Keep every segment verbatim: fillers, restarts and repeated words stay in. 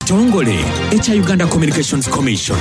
Kitongole ekya Uganda Communications Commission.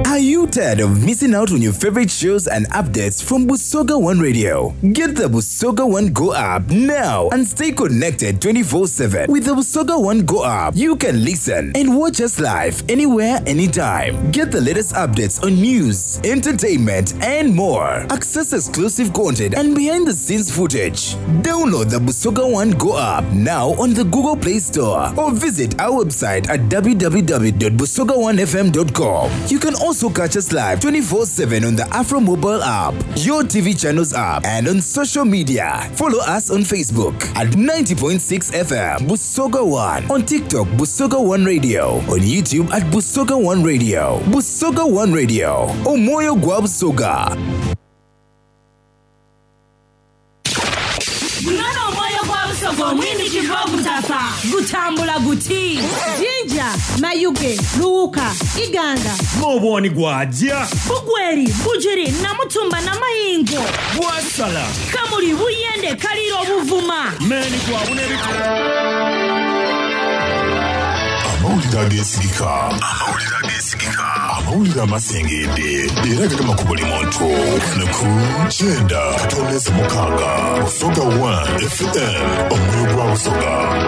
Are you tired of missing out on your favorite shows and updates from Busoga One Radio? Get the Busoga One Go app now and stay connected twenty-four seven. With the Busoga One Go app, you can listen and watch us live anywhere, anytime. Get the latest updates on news, entertainment, and more. Access exclusive content and behind-the-scenes footage. Download the Busoga One Go app now on the Google Play Store or visit our website at w w w dot busoga one f m dot com. You can also catch us live twenty-four seven on the Afro mobile app, your T V channels app, and on social media. Follow us on Facebook at ninety point six F M Busoga One, on TikTok Busoga One Radio, on YouTube at Busoga One Radio. Busoga One Radio, Omoyo gwa Busoga. Gutambula guti Jinja, Mayuge, Luuka, Iganga. N'obwoni gwajja. Bugweri, Bujiri, Namutumba na Mayingo. Bwasala. Kamuli, Buyende, Kaliro, Buvuma. Meni gwabuna ebitu. Amawulire ageesigika. Amawulire ageesigika. Amawulire amasengedde era gagema ku buli muntu. Wano ku kyenda katondeze mukaaga. Busoga One F M, omwoyo gwa Busoga.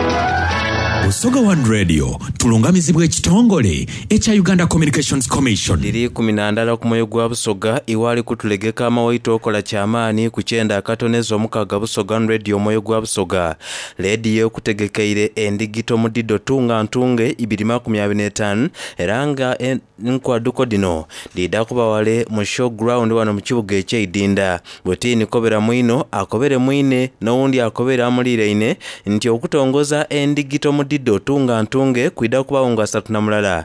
Busoga One Radio tulungamizibwa ekitongole ekya Uganda Communications Commission. Liri kumi na ndala ku mwoyo gwa Busoga iwali kutulegeka amawaito okola kyamaani ku kyenda akatoneza omukaaga Busoga One Radio omwoyo gwa Busoga. Leediyo ekutegekeire endigito mu dido tunga ntunge ibiri makumi abiri n'etaano era nga nkwaduko dino dida kuba wale mu show ground wano mu kibuga eky'eidinda. Bwetiini kobera mwino akobere mwine n'owundi akobere amulireine nti okutongoza endigito mu dido tunga ntunge kwida kubawo nga asatu na mulala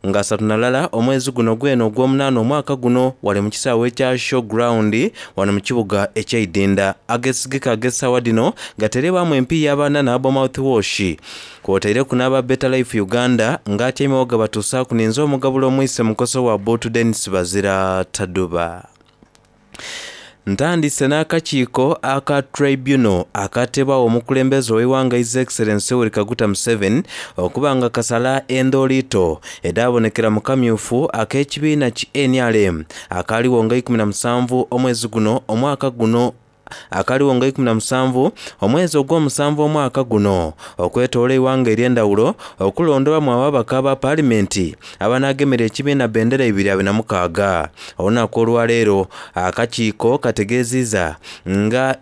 nga asatu na lala omwezi guno gweno ogw'omunaana omwaka guno wali mu kisaawe ekya show ground wano mu kibuga eky'eidinda. Agesigika ag'essaawa dino gaterebwamu empiiya abaana n'abo mouthwash kw'oteire n'aba Better Life Uganda ng'atyaimewo gabatuusaaku ninze omugabula omwise mukoso wa Botu Dennis Bazira Taduba. Ntandise n'akakiiko aka tribunal akatebwawo omukulembeze ow'eggwanga His Excellency Yoweri Kaguta Museveni okuba nga kasala endoliito edaabonekera mu kamyufu ak'ekibiina ki N R M akaaliwo nga ikumi na musanvu omwezi guno omwaka guno akaliwo nga ikumi na musanvu omwezi ogw'omusanvu omwaka guno okwetoola eggwanga ery'endawulo okulondobamu ababaka ba paalimenti abanaagemera ekibiina bendera ibiri abiri na mukaaga. Olunaku olwaleero akakiiko kategeezezza nga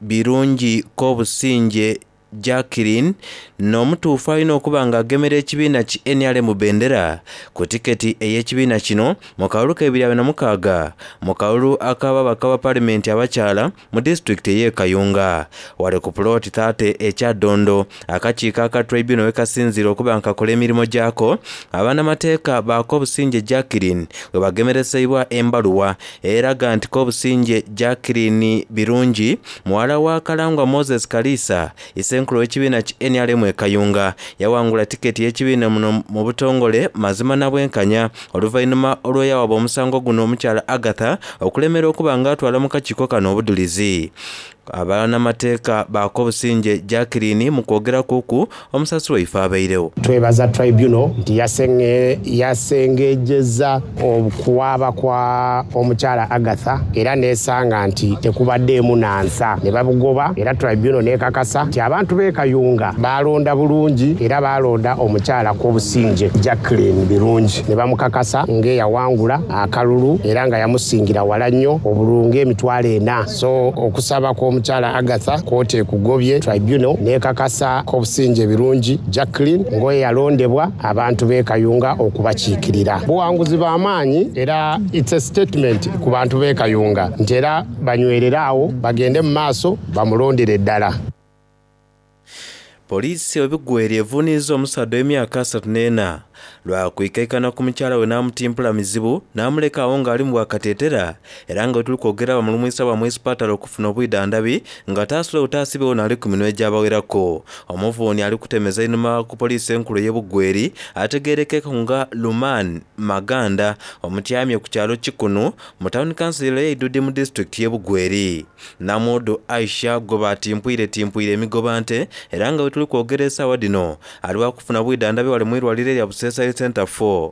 Birungi Kobusinge Jacqueline n'omutuufu alina okuba ng'agemera ekibiina ki N R M bendera ku tiketi ey'ekibiina kino mu kalulu k'ebiri abiri na mukaaga mu kalulu ak'ababaka ba paalimenti abakyala mu disitulikiti ey'e Kayunga. Wale ku puloti thirty ekya Ddondo akakiiko aka tribunal we kasinziira okuba nga kakola emirimu gyako abannamateeka ba Kobusinge Jacqueline we bagemereseibwa embaluwa eraga nti Kobusinge Jacqueline Birungi muwala wa Kalangwa Moses Kalisa isenkulu w'ekibiina ki N R M e Kayunga yawangula tiketi y'ekibiina muno mu butongole mazima na bwenkanya oluvannyuma olw'eyawaba omusango guno omukyala Agatha okulemera okuba ng'atwala mu kakiiko kano obudulizi. Abannamateeka ba Kobusinge Jacqueline mu kwogera kuku omusasi waife abairewo. Twebaza tribunal nti yasenge-, yasengejjeza okuwaaba kwa omukyala Agatha era n'esanga nti tekubaddeemu nansa ne babugoba era tribunal n'ekakasa nti abantu b'e Kayunga baalonda bulungi era baalonda omukyala Kobusinge Jacqueline Birungi ne bamukakasa ng'eyawangula akalulu era nga yamusingira wala nnyo obululu ng'emitwalo ena. So okusaba kw'omukyala Agatha kooti ekugobye tribunal n'ekakasa Kobusinge Birungi Jacqueline ng'oyo yalondebwa abantu b'e Kayunga okubakiikirira. Buwanguzi bw'amaanyi era it's a statement ku bantu b'e Kayunga nti era banywerere awo bagende mu maaso bamulondere ddala. Poliisi ebigweri evuuniriza omusaadde w'emyaka asatu n'ena Lwakwikaikana ku mukyala we n'amutimpula mizibu n'amuleka awo ng'ali mu bwakateetera era nga wetuli kwogera bamulumwisa bamwesipatala okufuna obwidhandabi nga taasulewo taasibewo n'ali ku minwe gy'abawerako. Omuvuuni ali kutemeza einhuma ku poliisi enkulu ey'e Bugweri ategeerekeka nga Luman Maganda omutyamye ku kyalo Kikunu mu tawuni kansilo ey'Eidudi mu disitulikiti y'e Bugweri. Namudu Aisha gwe batimpwire timpwire emigoba nte era nga wetuli kwogera essaawa dhino ali wakufuna bwidhandabi wali mu irwaliro erya Buseesa Health Center four.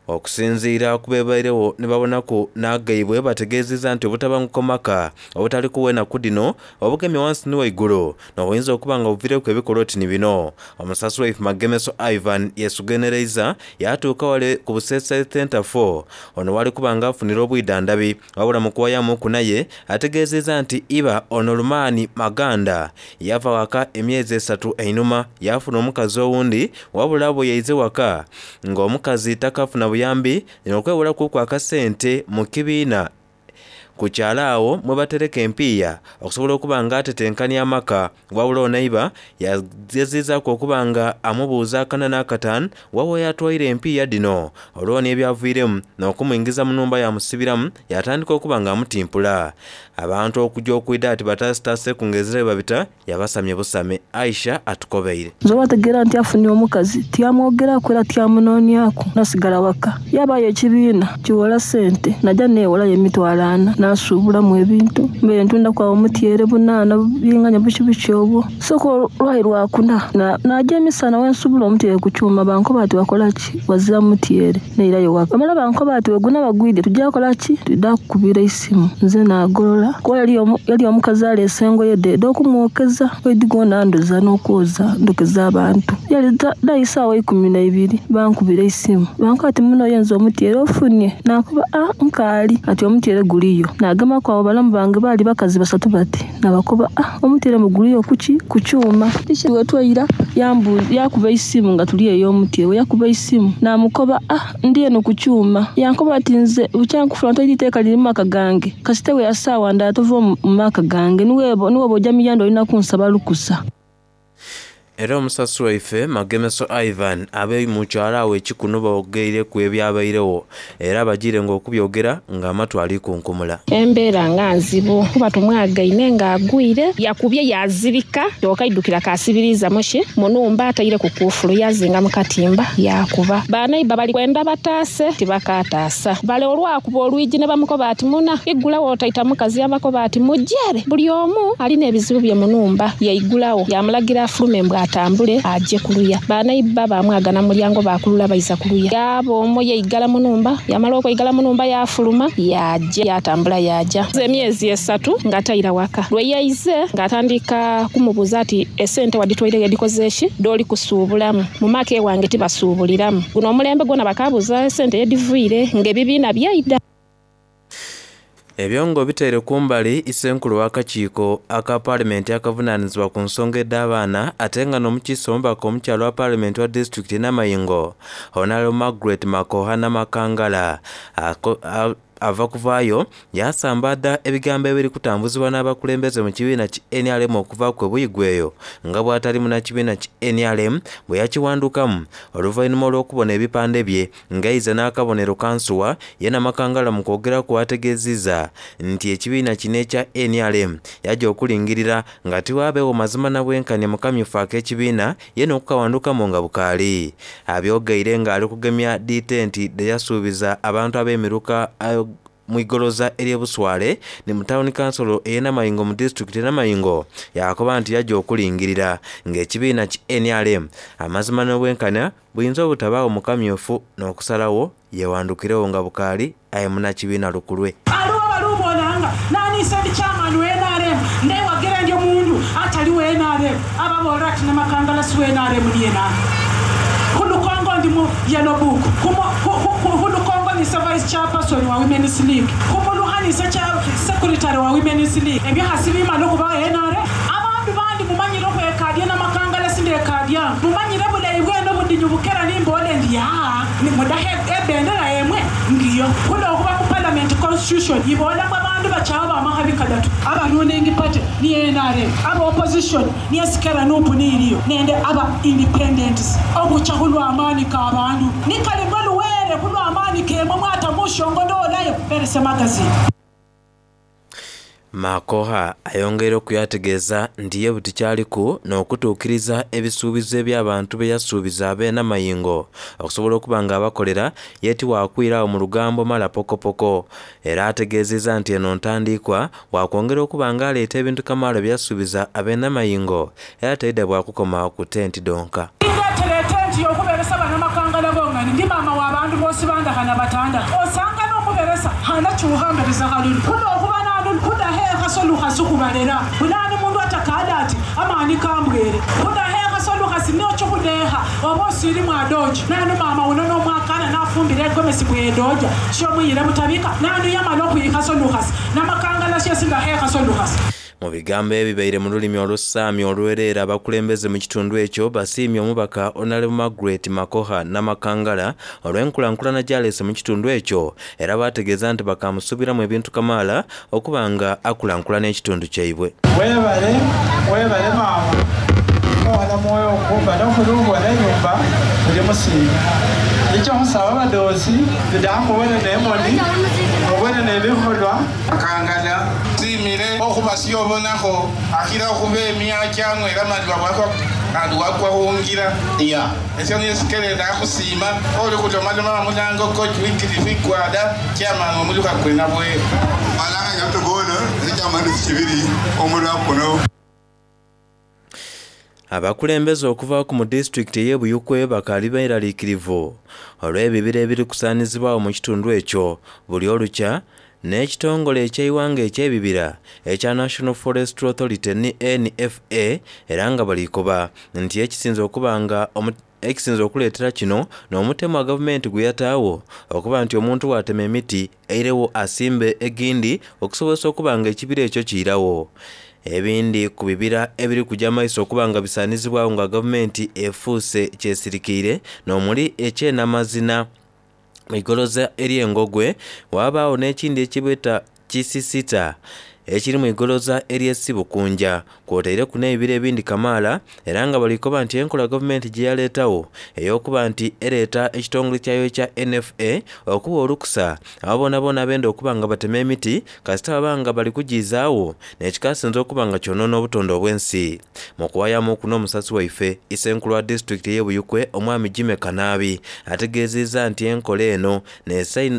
Okusinziira ku bebairewo ne babonaku n'agaibwe bategeezezza nti obutabanguko maka obutali kuwa ennaku dhino obugemye wansi ni waigulu n'obuyinza okuba nga buviireku ebikolwa oti ni bino. Omusasi waife Magemeso Ivan yesugenereiza yatuuka wale ku Buseesa Health Center four ono wali kuba nga afunira obwidhandabi wabula mu kuwayamuku naye ategeezezza nti iba ono Lumaani Maganda yava waka emyezi esatu einhuma yafuna omukazi owundi wabula bwe yaize waka ng'omukazi takafuna buyambi n'okwewolaku akasente mu kibiina ku kyalo awo mwe batereka empiiya okusobola okuba nga atetenkanya amaka wabula ono iba yagezezaaku okuba nga amubuuza akana n'akataano wawa yatwaire empiiya dhino olwoni ebyaviiremu n'okumwingiza mu nnumba yamusibiramu yatandika okuba nga amutimpula. Abantu okujja okwida ati bataasitaase ku ngezere babita yabasamye busame. Aisha atukobeire. Nze obategeera nti afunye omukazi tyamwogeraku era tyamunoonyaku nasigala waka yabayo ekibiina kiwola ssente najja neewolayo emitwalo ana nasuubulamu ebintu mbeere ntunda kwawo omutyere bunaana binganya buki buki obwo sooka olwayi lwakuna najja emisana wensuubula omutyere ku kyuma bankoba ati wakola ki wazira mutyere neirayo waka bamala bankoba ati weguna bagwidde tujja kola ki tudda kukubira esimu nze naagolola kuba yali omukazi aleese engoye dde ed'okumwokeza oidigona ndoza n'okwoza ndokeza abantu yali dayisa awo ikumi na ibiri bankubira esimu bankoba ati muno yenze omutyere ofunye nakuba a nkaali ati omutyere guliyo nagemaku abo balamu bange baali bakazi basatu bati nabakoba a omutyere muguliyo kuki ku kyuma wetwaira yakuba esimu nga tuli ey'omutyere yakuba esimu namukoba a ndi eno ku kyuma yankoba ati nze bukyankufuna toidi iteeka liri mu maka gange kasitewe ya ssaawa ndala tova mu maka gange niwebo niwebo ojja miyanda olina kunsaba lukusa. Era omusasi waife Magemeso Ivan abe mu kyalo awo ekikuno boogeireku ebyabairewo era bagiire ng'okubyogera ng'amatu ali kunkumula. Embeera nga nzibu kuba tumwagaine ng'agwire yakubye yazirika okaidukira kasibiriza mushi munumba ataire ku kufulu yazinga mu katimba yakuba banaiba bali kwenda bataase tibakataasa bale olwakuba olwigi ne bamukoba ati muna igulawo otaita mukazi yabakoba ati mujere buli omu alina ebizibu bye munumba yaigulawo yamulagira afulume mbwa atambule aje kuluya banaiba bamwagana mulyango bakulula baiza kuluya yaba omwo yeigala munumba yamala okweigala munumba yafuluma yaja yatambula yaja emyezi esatu ng'ataira waka lwe yaize ng'atandika kumubuuza ati esente waditwaire yedikoze ki doli kusuubulamu mu maka ewange tibasuubuliramu guno omulembe gwona bakabuuza esente yedivuire ng'ebibiina byaida. Ebyongo biteere kumbali isenkulu w'akakiiko aka paalamenti akavunaanyizibwa ku nsonga edh'abaana ate nga n'omukiise omubaka omukyalo wa paalamenti wa disitulikiti Namayingo Honorable Margaret Makoha Namakangala ava kuvaayo yasambadda ebigambo ebiri kutambuzibwa n'abakulembeze mu kibiina ki N R M okuva ku Buyigwe nga bw'atali munnakibiina ki N R M bwe yakiwandukamu oluvannyuma olw'okubona ebipande bye ng'aize n'akabonero kansuwa ye Namakangala mu kwogeraku ategeezezza nti ekibiina kino ekya N R M yajja okulingirira nga tiwaabeewo mazima na bwenkanya mu kamyufu ak'ekibiina ye n'okukawandukamu nga bukaali. Abyogeire ng'ali kugemya ditenti de yasuubiza abantu ab'emiruka mwigoloza ery'Ebuswale ni mu tawuni kansolo ey'e Namayingo mu disitulikiti Namayingo yakoba nti yajja okulingirira ng'ekibiina ki N R M amazima n'obwenkanya buyinza obutabaawo mu kamyufu n'okusalawo yewandukirewo nga bukaali aye munnakibiina lukulwe. Aliwo baluubonanga naniisa ndi chairman wa N R M ndewagira ndi omundu atali wa N R M ababoolera ati Namakangala si wa N R M niye nani khulukongo ndi mu yellow book khulukongo nise vice chairperson wa Women's League khumuluhanise secretary wa Women's League ebyo hasi bimala okhuba N R M abandu bandi mumanyire okhwekadya Namakangala sindekadya mumanyire bulayi bwene obudinyu bukera nimbole ndi yaa nimudakha ebendera yemwe ngiyo khulokhuba mu parliament constitution ibola mwe abandu Abandu bachawo bamakhabi kadatu, aba ruling party ni N R M, aba opposition ni esikera nupu ni iliyo, nende aba independents. Okucha khulwa amani ka abandu nikali ngoluwere khulwa amani kemwe mwata mushongololayo berese magazine. Makoha ayongera okuyategeeza nti ye buti kyaliku n'okutuukiriza ebisuubizo eby'abantu be yasuubiza ab'enamayingo okusobola okuba nga abakolera ye tiwakwirawo mu lugambo mala pokopoko. Era ategeezezza nti eno ntandikwa wakwongera okuba nga aleeta ebintu kamaala bye yasuubiza ab'enamayingo era teidda bwakukoma ku tenti donka. Ndeetera etenti y'okubeeresa bannamakangala bongani ndi maama w'abantu boosi bandakhana batanda osanga n'omubeeresa hana kyuhambereza khalulu kuno okuba solukhasi khubalera bulani mundu atakada ati amani kambwere khudahekha solukhasi niochikhudeha oba osili mwadoji nanu mama uno nomwakana nafumbile egomesi bwedoja shomuyile butabika nanu yamala okhwikha solukhasi namakangala shesi ndahekha solukhasi. Mu bigambo ebibaire mu lulimi olusaami olwereera abakulembeze mu kitundu ekyo basiimye omubaka Honorable Margaret Makoha Namakangala olw'enkulankulana gy'aleese mu kitundu ekyo era baategeeza nti bakamusuubiramu ebintu kamaala okuba nga akulankulana ekitundu kyaibwe. Weebale, weebale maama owana mwoyo okumba n'okulungwana enyumba buli musiima ekyo musaba abadoozi bidakubone n'emoni obone n'ebikholwa. Makangala simile okhuba syobonakho akhila okhuba emya kyanywera malwa bwakwa kandi wakwa khungira iya esyo niyo ndakhusima oli khulomaloma mulango kochwikilifikwada kyamani omulukha kwena bwe malanga nyatogona ekyamani kibiri omulwa kuno. Abakulembeze okuva ku mu disitulikiti ey'e Buyukwe bakaali beeraliikirivu olw'ebibira ebirikusaanizibwawo mu kitundu ekyo buli olukya n'ekitongole eky'eiwanga eky'ebibira ekya National Forestry Authority ni N F A era nga balikoba nti ekisinza okuba nga ekisinza okuleetera kino n'omutemu wa gavumenti gwe yataawo okuba nti omuntu bw'atema emiti eirewo asimbe egindi okusobozesa okuba nga ekibira ekyo kiyirawo. Ebindi ku bibira ebiri kujja maiso okuba nga bisaanizibwawo nga gavumenti efuuse kyesirikiire n'omuli ekyenamazina igoloza ery'engogwe wabaawo n'ekindi ekibeta kisisita ekiri mu igoloza ery'essibukunja kwotaire ku n'ebibira ebindi kamaala era nga balikoba nti enkola gavumenti gye yaleetawo ey'okuba nti ereeta ekitongole kyayo ekya N F A okuwa olukusa abo boonaboona abenda okuba nga batema emiti kasita baba nga bali kugizaawo n'ekikasinza okuba nga kyonoona obutonde obw'ensi. Mu kuwayamu kuno omusasi waife isenkulu wa disitulikiti ey'e Buyukwe omwami Jimmy Kanaabi ategeezezza nti enkola eno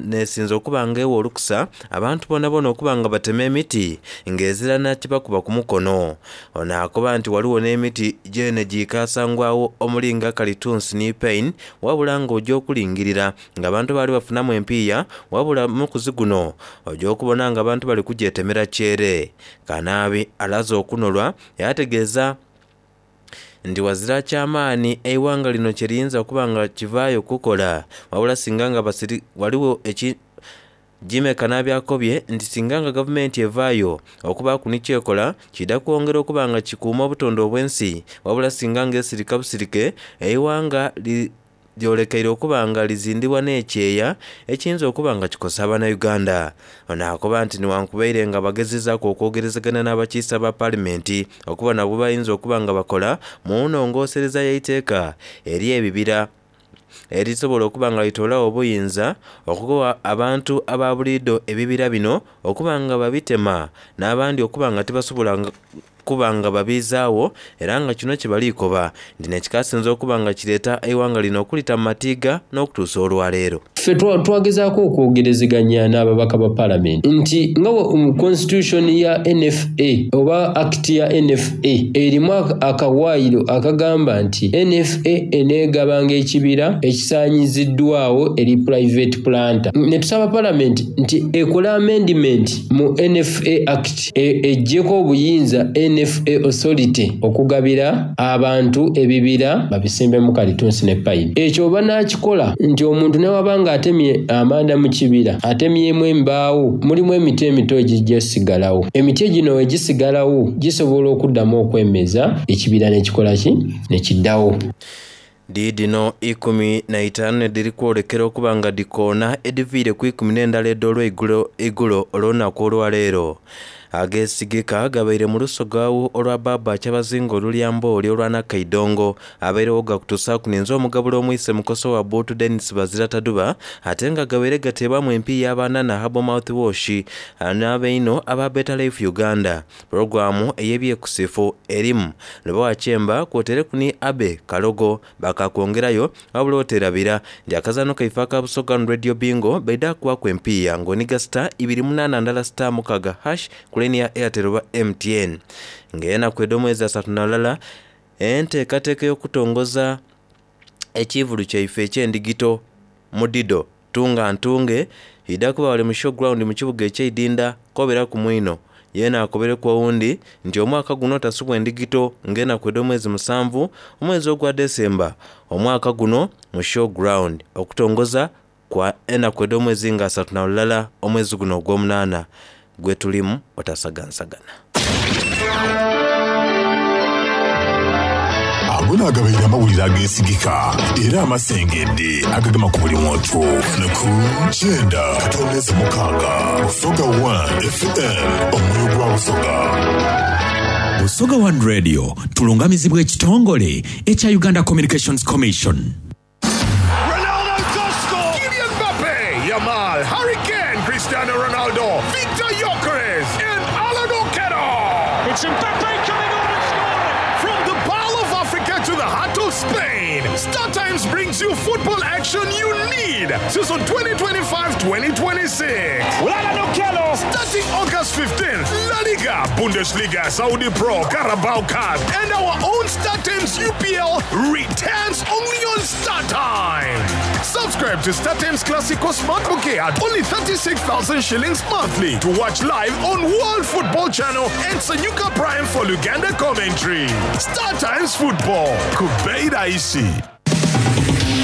nesinza okuba nga ewa olukusa abantu boonaboona okuba nga batema emiti ng'ezirana kibakuba ku mukono. Ono akoba nti waliwo n'emiti gyene gikasangwawo omulinga kalitunsi ni pain wabula ng'ojja okulingirira ng'abantu baali bafunamu empiiya wabula mukuzi guno ojja okubona ng'abantu bali kugyetemera kyere. Kanaabi alaze okunolwa yategeeza nti wazira kyamaanyi eiwanga lino kye liyinza okuba nga kivaayo kukola wabula singa nga basiri waliwo eki Jimmy Kanaabi akobye nti singa nga gavumenti evaayo okuba ku nikyekola kidda kwongera okuba nga kikuuma obutonde obw'ensi wabula singa ng'esirika busirike eiwanga lyolekeire okuba nga lizindibwa n'ekyeya ekiyinza okuba nga kikosa Bannayuganda. Ono akoba nti newankubaire nga bagezezaako okwogerezegana n'abakiise ba paalamenti okuba nabo bayinza okuba nga bakola mu nnongoosereza y'eiteeka eri ebibira erisobola okuba nga litoolawo obuyinza okugoba abantu aba buliido ebibira bino okuba nga babitema n'abandi okuba nga tebasobola kuba nga babizaawo era nga kino kye balikoba nti nekikasinza okuba nga kireeta eiwanga lino okulita mu matiga n'okutuusa olwaleero. Ffe twagezaako okwogerezeganya n'ababaka ba paalamenti nti nga constitution ya N F A oba act ya N F A erimu akawaayiro akagamba nti N F A eneegabanga ekibira ekisaanyiziddwawo eri private planter. Ne tusaba paalamenti nti ekole amendment mu N F A act eggyeko obuyinza N F A authority okugabira abantu ebibira babisimbemu kalitunsi ne payini. Ekyo banaakikola nti omuntu ne wabanga atemye amanda mu kibira atemyemu embaawo mulimu emiti emito egijja sigalawo. Emiti gino egisigalawo gisobola okuddamu okwemeza ekibira n'ekikola ki ne kiddawo. Diidino ikumi na itaanu edhiri kwolekera okuba nga dhikoona edhiviire ku ikumi n'endala edh'olweigulo igulo olw'olunaku olwaleero. Ageesigika gabaire mu lusogawu olwa Baba Kyabazinga olulyambooli olwa Nakaidongo abairewo gakutusaaku ninze omugabula omwise mukoso wa Buutu Dennis Bazira Taduba ate nga gabaire gateebwamu empiiya abanana Herbal Mouthwash n'abeino aba Better Life Uganda. Pulogulaamu ey'ebyekusifu erimu Lubowa Kyemba kwotereku ni Abe Kalogo bakakwongerayo wabula oterabira nti akazaano kaife aka Busoga Radio Bingo baida kuwaku empiiya ng'oniga star ibiri munaana ndala star mukaga hash ku laini ya Airtel oba M T N. Ng'enaku edh'omwezi asatu na lulala enteekateeka y'okutongoza ekivulu kyaife eky'endigito mudido tunga ntunge idha kuba wali mu showground mu kibuga ekyeidinda koberaku mwino yeena akobereku owundi nti omwaka guno tasubwa endigito ng'enaku edh'omwezi musanvu omwezi ogwa Desemba omwaka guno mu showground okutongoza kwa enaku edh'omwezi nga asatu na lulala omwezi guno ogw'omunaana gwe tulimu otasagansagana. Ago n'agabaire amawulire ageesigika era amasengedde agagema ku buli muntu. Ku kyenda katondeze mukaaga Busoga one F M omwoyo gwa Busoga. Busoga One Radio tulungamizibwa ekitongole ekya Uganda Communications Commission. Ronaldo to score! Kylian Mbappe, Yamal, Harry Kane, Cristiano Ronaldo, Victor Gyökeres, and Alan Okello. It's Mbappe coming on and scoring! From the Pearl of Africa to the heart of Spain, Star Times brings you football action you need. Season twenty twenty-five twenty twenty-six. Well, Alan Okello! Starting August fifteenth, La Liga, Bundesliga, Saudi Pro, Carabao Cup, and our own Star Times U P L returns only on Star Times. Subscribe to Star Times Classico Smart Bouquet at only thirty-six thousand shillings monthly to watch live on World Football Channel and Sanyuka Prime for Luganda commentary. Star Times Football. Kubeida isi.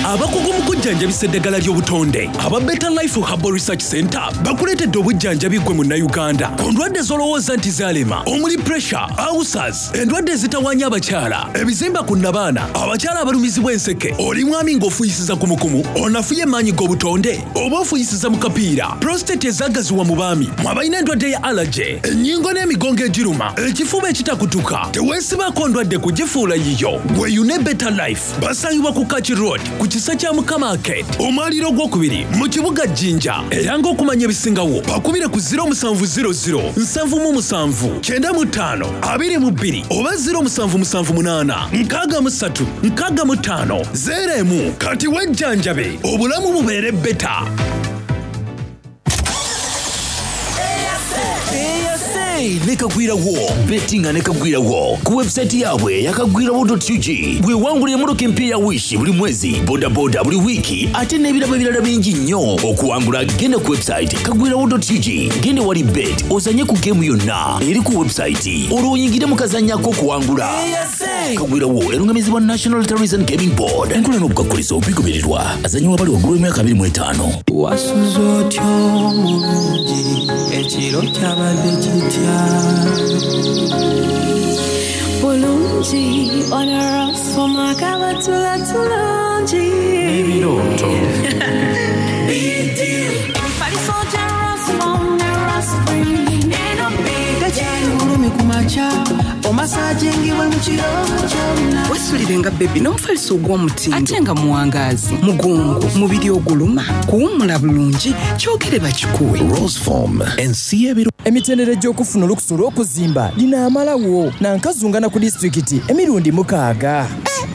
Abakugu mu kujjanjabisa eddagala ly'obutonde aba Better Life Herbal Research Center bakuleetedde obujjanjabi ggwe munnayuganda ku ndwadde z'olowooza nti zaalema omuli pressure, ulcers, endwadde ezitawaanya abakyala, ebizimba ku nnabaana, abakyala abalumizibwa enseke, oli mwami ng'ofuuyisiza kumukumu, onafuye emaanyi g'obutonde oba ofuuyisiza mu kapiira, prostate ezaagaziwa mu baami, mwe abalina endwadde ya allergy, ennyingo n'emigongo egiruma, ekifuba ekitakutuka, teweesibaako ndwadde kugifuula yiyo. Weeyune Better Life basangibwa ku Kaki Road ku kisa kya Mukama Arcade omwaliro ogwokubiri mu kibuga Jinja. Era ng'okumanya ebisingawo bakubire ku zero musanvu zero zero nsanvu mu musanvu kyenda mu ttaano abiri mu bbiri oba zero musanvu musanvu munaana nkaaga mu ssatu nkaaga mu ttaano zero emu. Kati wejjanjabe obulamu bubeere beta. Nekagwirawo bettinga nekagwirawo ku website yaabwe yakagwirawo dot U G bwewangulira emmotoka empya ya Wish buli mwezi, bodaboda buli wiiki ate n'ebirabo ebirala bingi nnyo. Okuwangula genda ku website kagwirawo dot U G, genda wali bet ozanye ku geemu yonna eri ku website olwo oyingire mu kazanyo ak'okuwangula. Kagwirawo erungamizibwa National Tourism and Gaming Board. Enkola n'obukakkulizo bigobererwa. Azanyiwa abali waggulu w'emyaka abiri mu etaano. Wasuze otya omulungi, ekiro kyabadde kitya? Bulungi, onarasoma kabatula tulungi. Ebirooto. Emifaliso gya Rasfom ne Rasfree. Eno Tekyali bulumi ku makya, omasajingibwe mu kiro kyonna. Weesulirenga bebi n'omufaliso ogw'omutindo ate nga muwangaazi, mugongo, mubiri oguluma, kuwummula bulungi, kyogere bakikuwe. Roseform, ensi y'ebiro. Emitendera egy'okufuna olukusa olw'okuzimba linaamalawo nankazungana ku disitulikiti emirundi mukaaga.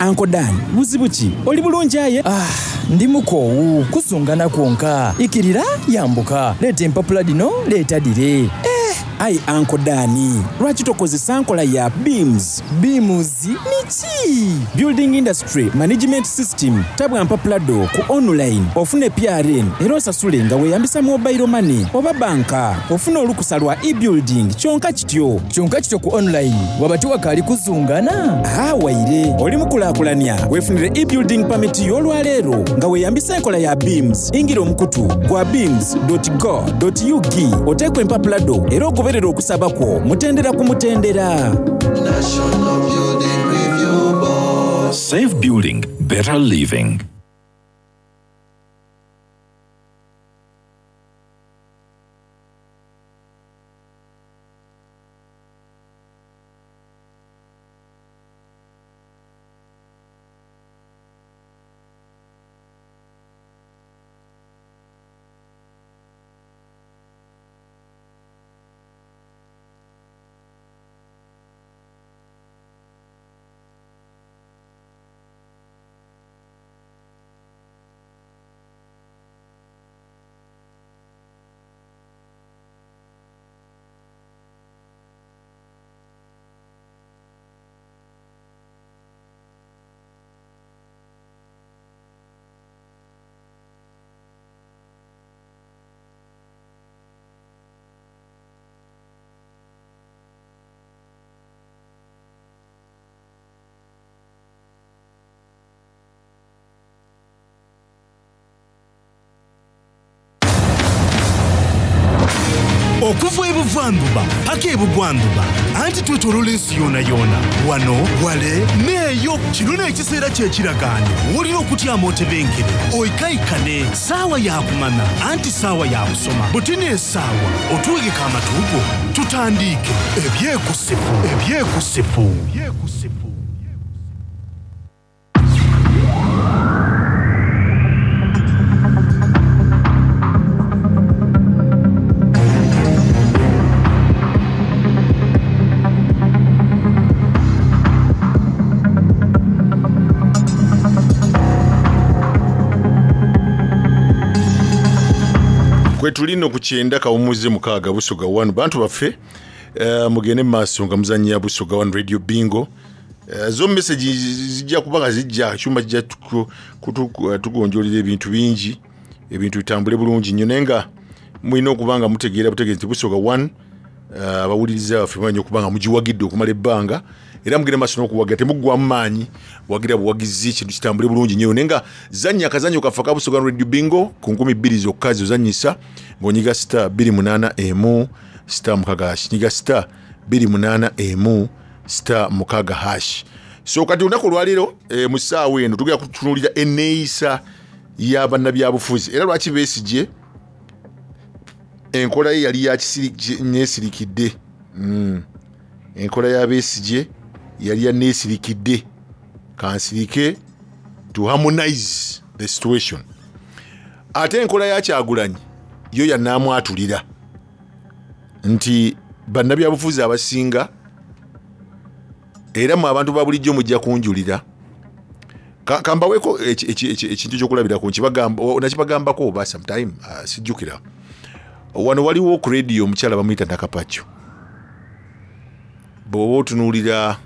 Uncle Dan, buzibu ki? Oli bulungi aye? Ah, ndi mukoowu, kuzungana kwonka. Ikirira, yambuka. Leeta empapula dino, leeta dire. Eh, ayi Uncle Dan, lwaki tokozesa nkola ya BIMS? BIMS niki? Building Industry Management System. Tabwa mpapula do ku online, ofune P R N era osasule nga weeyambisa mobile money oba banka. Ofune olukusa lwa e-building kyonka kityo. Kyonka kityo ku online, waba tewakaali kuzungana? Ah, waire, oli mukulaakulanya. Weefunire e-building permit y'olwaleero nga weeyambisa enkola ya BIMS. Ingira omukutu gwa bims dot go dot U G oteekwe empapula do era ogoberere okusaba kwo mutendera ku mutendera. National Building Review Board. Safe building, better living. Okuva ebuvanjuba paka ebugwanjuba, anti twetolola ensi yona yona, wano wale neeyo. Kino n'ekiseera kyekiragaano, wulira okutyama otebenkere oikaikane. Saawa yakumanya anti saawa yakusoma. Butini esaawa otuwegeka amatuugo tutandiike ebyekusifu ebyekusifu. Kwetulino ku kyenda kawumuze mukaaga Busoga one. Bantu baffe, uh, mugende mu maaso nga muzannya Busoga one Radio Bingo. Uh, zo message zijja kuba nga zijja, ekyuma kijja kutugonjolera ebintu bingi, ebintu bitambule bulungi nnyo, naye nga mulina okuba nga mutegeera butegeezi nti Busoga one, abawuliriza uh, baffe mumanyi okuba nga mugiwagidde okumala ebbanga, era mugende maaso n'okuwagira, temuggwamu maanyi, wagira buwagizi, kintu kitambule bulungi nnyo. Naye nga zannya akazannyo kaffe aka Busoga Radio Bingo ku nkumi bbiri zokka zozannyisa ng'onyiga star bbiri munaana emu star mukaaga hash, nyiga star bbiri munaana emu star mukaaga hash. So kati olunaku olwaleero e, mu ssaawa eno tugenda kutunuulira enneeyisa y'abannabyabufuzi, era lwaki Besigye enkola ye yali yaneesirikidde. Mm. Enkola ya Besigye yali yaneesirikidde, kansirike to harmonize the situation. Ate enkola ya Kyagulanyi yo yanaamwatulira nti bannabyabufuzi abasinga, era mu abantu ba bulijjo mujja kunjulira. Kambaweeko ekintu ekyokulabirako, nakibagambako oba sometime, uh, sijjukira. Wano waliwo ku radio omukyala bamuyita Nakapakyo. Bw'oba otunuulira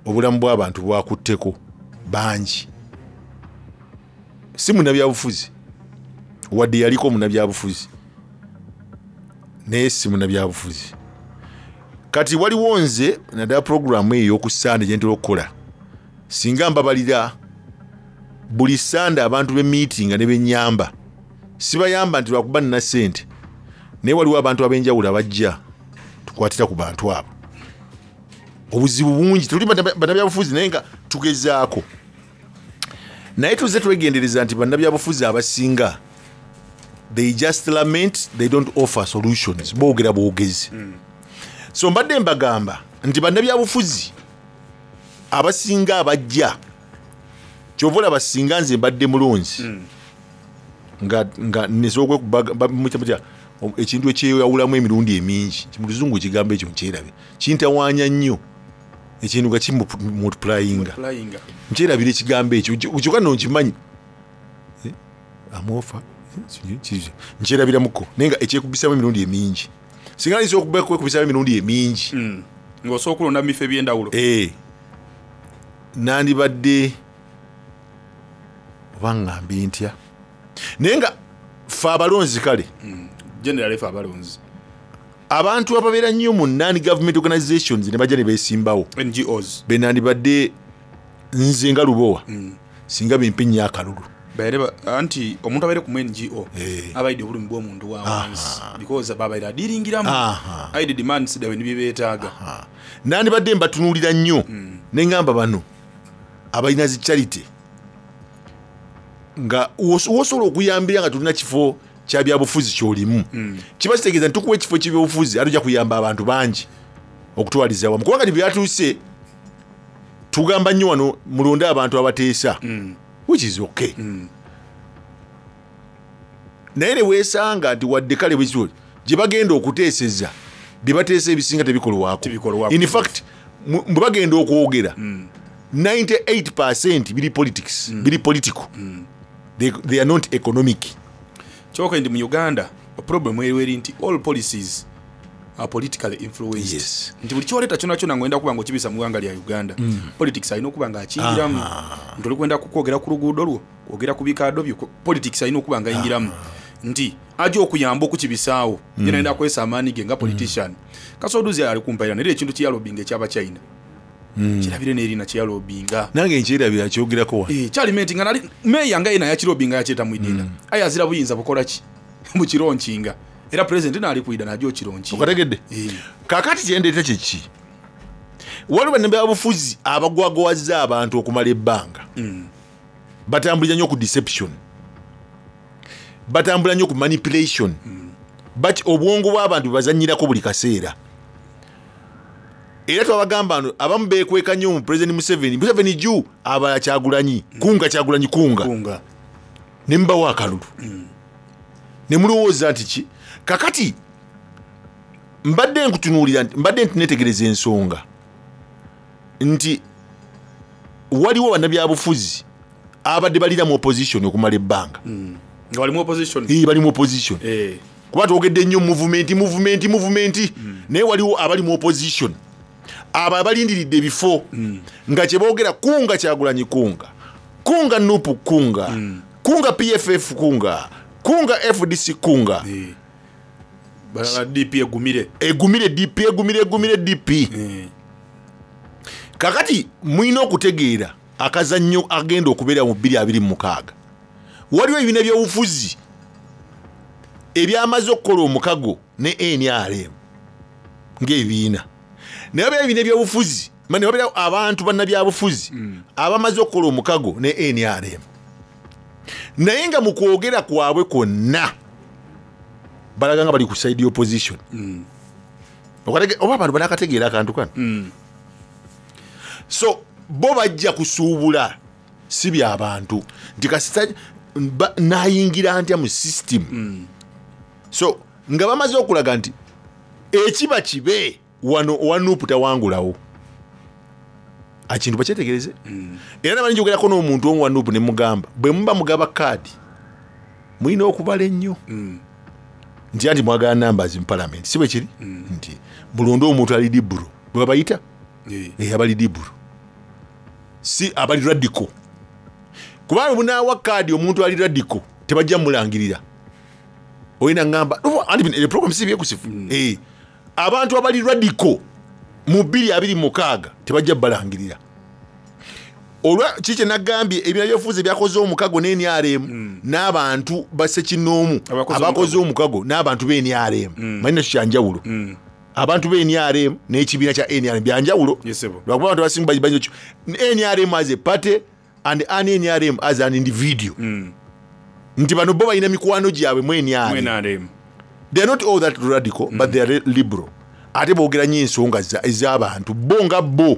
obulamu bw'abantu bwakutteko bangi, si munnabyabufuzi, wadde yaliko munnabyabufuzi, naye si munnabyabufuzi. Kati waliwo nze naddala puroguramu eyo ey'oku Ssande gye ntera okukola, singa mbabalira buli Ssande abantu b'emiitinga ne bennyamba, sibayamba nti lwakuba nina ssente, naye waliwo abantu ab'enjawulo abajja tukwatira ku bantu abo. Obuzibu bungi, tetuli bannabyabufuzi naye nga tugezaako. Naye tuzze twegendereza nti bannabyabufuzi abasinga they just lament, they don't offer solutions, boogera bwogezi. Mm. So mbadde mbagamba nti bannabyabufuzi abasinga abajja, kyova olaba singa nze mbadde mulonzi, mm. nga, nga nesobola okwekuba ekintu ekyeyawulamu emirundi emingi, mu luzungu ekigambo ekyo nkyerabe, kintawaanya nnyo ekintu nga kimultiplyinga, nkyerabira ekigambo ekyo kyokka nno nkimanyi amofa nkyerabiramuko, naye nga ekyekubisamu emirundi emingi, singa nsobola okwekubisamu emirundi emingi mm. ng'osobola okulonda mu bifo eby'endawulo, eh, nandibadde oba ŋŋambe ntya, naye nga ffe abalonzi kale mm. generally ffe abalonzi abantu ababeera nnyo mu non government organizations ne bajja ne beesimbawo N G Os, benandibadde nze nga Lubowa, mm. singa bimpe nnyo akalulu. Baire anti omuntu abaire ku N G O abaide obulumi bw'omuntu wa wansi because babaire adiringiramu aide demands dawe nibibeetaaga. Nandibadde mbatunuulira nnyo, mm. ne ŋŋamba bano Abalina zi charity nga wos- wosobola okuyambira nga tulina kifo kya byabufuzi kyolimu, kiba kitegeeza nti tukuwa ekifo kyebyobufuzi, ate ojja kuyamba abantu bangi okutwaliza wamu, kubanga tibyatuuse tugamba nnyo wano mulonde abantu abateesa, which is okay. Naye ne weesanga nti wadde kale bwekityo gye bagenda okuteeseza, bye bateesa ebisinga tebikolwako. In fact, mu- bwe bagenda okwogera, ninety-eight biri politics, biri political. they, they are not economic. Kyoka ndi mu Uganda problem eriwo eri nti all policies are politically influenced. Yes. Nti buli kyoleeta kyona kyona ng'oyenda kuba nga okibisa mu ggwanga lya Uganda, Mm. politics alina okuba nga akiyingiramu, nti oli kwenda kukwogera ku luguudo lwo, kwogera ku bikaado byo, ku- politics alina okuba nga ayingiramu, nti ajja okuyamba okukibisaawo. Mm. Yena ayenda akozesa amaanyi ge nga politician. Kasoduzi ali kumpaira naye ekintu kyeyalobinga ekyabachina, kirabire n'erina kyeyalobinga. Nange nkyerabira kyogerako wano. Eh, kyalimenti nga nali meeya nga yena yakirobinga yakyeta mwidinda, aye azira buyinza bukola ki mukironkinga, era pulezidenti naali kwida najja okironkinga. Okategedde? Kakati kyendeeta kyeki? Waliwo bannabyabufuzi abagwagwazza abantu okumala ebbanga, batambulira nnyo ku deception, batambula nnyo ku manipulation, but obwongo bw'abantu bebazanyirako buli kaseera. Era twabagamba no abamu bekweka nnyo mu President Museveni, Museveni ju abalala Kyagulanyi kunga, Kyagulanyi kunga, ne mubawo akalulu ne mulowooza nti ki. Kakati mbadde nkutunuulira nti mbadde nti netegereza ensonga nti waliwo bannabyabufuzi abadde balira mu opposition okumala ebbanga. Nga bali mu opposition. Eh, bali mu opposition. Eh. Kuba twogedde nnyo movement, movement, movement, naye waliwo abali mu opposition abo abalindiridde ebifo nga kyeboogera kunga Kyagulanyi, kunga, kunga Nupu, kunga, kunga P F F, kunga, kunga F D C, kunga. Balala D P egumire. Egumire D P, egumire, egumire D P. Kakati mulina okutegeera akazannyo agenda okubeera mu bbiri abiri mu mukaaga. Waliwo ebibiina byobufuzi ebyamaze okukola omukago ne N R M ng'ebibiina, naye wabeera ebibiina ebyobufuzi ma- ne wabeerawo abantu bannabyabufuzi abamaze okukola omukago ne N R M, naye nga mu kwogera kwabwe kwonna balaga nga bali ku side opposition. Okatege- oba abantu banakategeera akantu kano? So bo bajja kusuubula si byabantu nti kasita ba- nayingira ntya mu system. So nga bamaze okulaga nti ekiba kibe wano owa Nuupu tawangulawo, akintu bakyetegereze. Era nabali njogerako n'omuntu omu wa Nuupu ne mugamba, bwe muba mugaba kaadi mulina okubala ennyo nti anti mwagala numbers mu parliament, si bwe kiri? Nti mulonde omuntu ali liberal, bwe babayita. Eh, abali liberal, si abali radical, kubanga bunaawa kaadi omuntu ali radical tebajja mulangirira. Olina ngamba anti bino- eh, program si byekusifu. Eh, abantu abali radical mu bbiri abiri mukaaga tebajja balangirira. Olwa ki kyenagambye, ebina byofuzi byakoze omukago ne N R M n'abantu basekinoomu abakoze omukago n'abantu be N R M, manyi nakyo kyanjawulo. Abantu be N R M n'ekibiina kya N R M byanjawulo, lwakuba abantu abasinga baji- baji- N R M as a party and an N R M as an individual, nti bano bo balina mikwano gyabwe mu N R M. N R M. They are not all that radical, but they are liberal, ate boogera nnyo ensonga za- ez'abantu bo nga bo.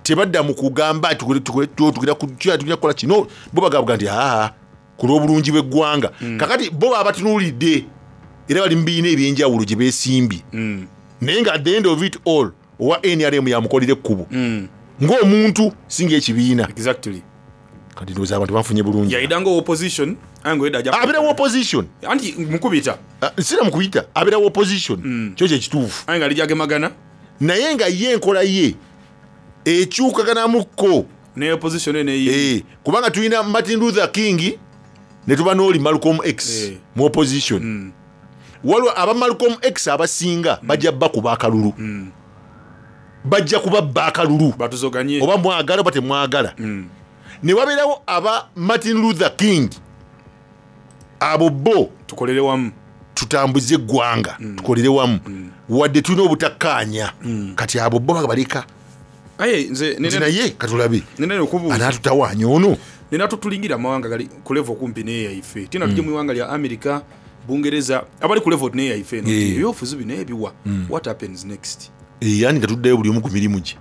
Tebadda mu kugamba tukole- tukole- tugira ku- tugira tugira kukola kino. Bo bagamba nti aa ku lw'obulungi bw'eggwanga. Kakati bo baba batunuulidde era bali mu bibiina ebyenjawulo gye beesimbye, naye nga at the end of it all owa N R M yamukolera ekkubo ng'omuntu si ng'ekibiina. Exactly. Kati ndowooza abantu bafunye bulungi. Yayida nga opposition aye nga oyida ajja Abeera wa opposition. Anti mukubita. Sira mukuyita, abeera wa opposition, kyo kyekituufu. Aye nga lijagemagana. Naye nga ye enkola ye ekyukaganamukko ne opposition eneyi. Eh, kubanga tulina Martin Luther King ne tuba n'oli Malcolm X Eh. mu opposition. Waliwo aba Malcolm X abasinga bajja bakuba akalulu, bajja kubabba akalulu. Batuzoganye. Oba mwagala oba temwagala. Ne wabeerawo aba Martin Luther King, abo bo tukolere wamu, tutambuze eggwanga, tukolere wamu wadde tulina obutakkaanya. Kati abo bo babaleka. Aye nze Nti naye katulabe nina okubuuza anaatutawaanya ono. Nina tutulingira amawanga gali ku level kumpi n'eyaife, tina tujje mu iwanga lya America, Bungereza, abali ku level n'eyaife eno. Eh. Ebyobufuzi bino ebiwa, Mm. what happens next? Yani nga tuddayo buli omu ku mirimu gye.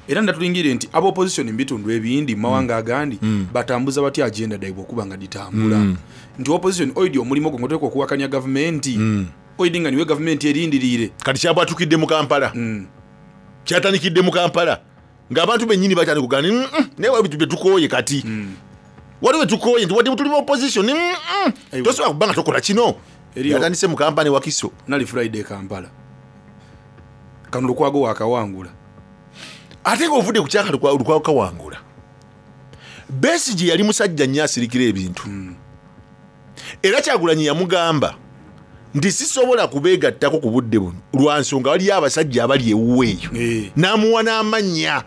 Era ndatulingire nti aba opposition mu bitundu ebindi, mu mawanga agandi, Mm. batambuza batya agenda daibwe okuba nga ditambula? Mm. Nti opposition oidi omulimu gwo ngoteeka okuwakanya gavumenti, oidi nga niwe gavumenti erindiriire. Kati kyabwatukidde mu Kampala, kyatandikidde mu Kampala ng'abantu bennyini batandika kugamba nti, "Mm, mm, naye waliwo bye tukooye kati, waliwo bye tukooye nti wadde tuli mu opposition, mm, mm, tosobola kuba nga tokola kino." Eriyo- Yatandise mu Kampala ne Wakiso. Nali Friday Kampala, kano Lukwago wakawangula. Ate ng'ovudde ku kyaka Lukwago kawangula, Besigye yali musajja nnyo asirikira ebintu, era Kyagulanyi yamugamba nti sisobola kubeegattako ku budde buno lwa nsonga waliyo abasajja abali ewuwe eyo, n'amuwa n'amannya.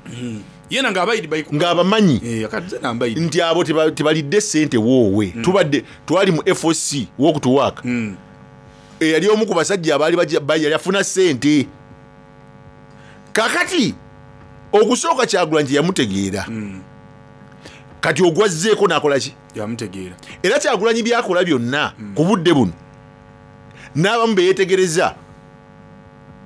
Yena ng'abayidi ng'abamanyi nti nti abo teba- tebalidde sente woowe. Tubadde twali mu F O C wokutuwaaka, eyali omu ku basajja abaali bajja- ba- yali afuna sente. Kakati okusooka Kyagulanyi teyamutegeera, kati ogwazzeeko n'akola ki? Yamutegeera. Era Kyagulanyi byakola byonna ku budde buno n'abamu beyetegereza,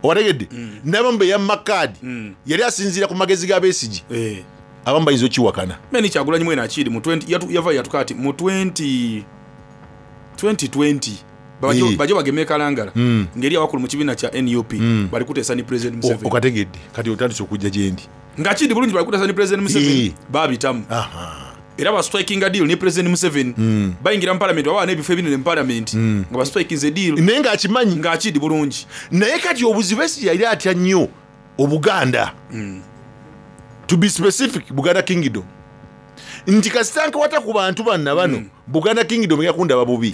owategedde, n'abamu beyamma kaadi, yali asinziira ku magezi ga Besigye. Abamu bayinza okiwakana. Meni Kyagulanyi mwene akiri mu twenty yatu- yava yatuka ati mu twenty twenty twenty bajo Eh. bajo bageme Kalangala, Mm. ngeri abakulu mu kibiina kya N U P bali kuteesa ni President Museveni. Okategedde, kati otandise okujja gyendi. Nga kidi bulungi bali kuteesa ni President Museveni, Eh. babitamu era ba striking a deal ni President Museveni, bayingira mu parliament, baba n'ebifo ebinene mu parliament nga ba striking a deal. Naye ng'akimanyi ng'akidi bulungi. Naye kati obuzibu, Besigye yali atya nnyo Obuganda, to be specific Buganda Kingdom, nti kasita nkwata ku bantu banna bano, Buganda Kingdom yakundaba bubi,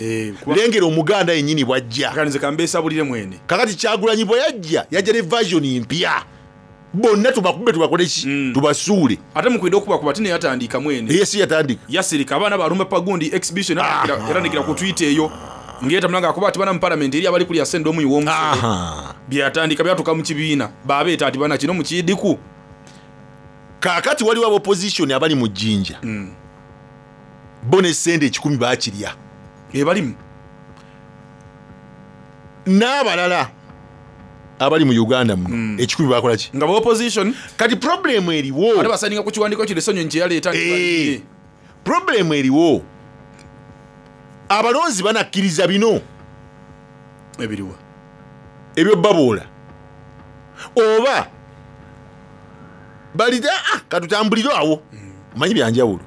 lengera Omuganda yennyini bwajja. Nze kambeesabulire mwene. Kakati Kyagulanyi bwe yajja, yajja ne version mpya, bonna tubakube, tubakole ki, tubasuule. Ate mukwida okubakuba tine yatandika mwene. Ye si yatandika. Yasirika abaana balumba pagundi exhibition, yatandikira ku Twitter eyo ngeetamula ngaakuba ati bana mu parliament eri abali kulya sente omuyi w'omusolo. Byatandika byatuka mu kibiina, babeeta ati bana kino mukiidiku. Kaakati waliwo abopposition abali mu Jjinja, bo ne sente ekikumi bakirya. Ebalimu n'abalala abali mu Uganda muno ekikumi bakola ki? Nga ba opposition. Kati problemu eriwo, ate basaninga ku kiwandiiko kino Esonyonyi kye yaleeta nti Eh, problemu eriwo, abalonzi banakkiriza bino ebiriwa ebyo baboola oba balite, ah, katutambulire awo, omanyi byanjawulo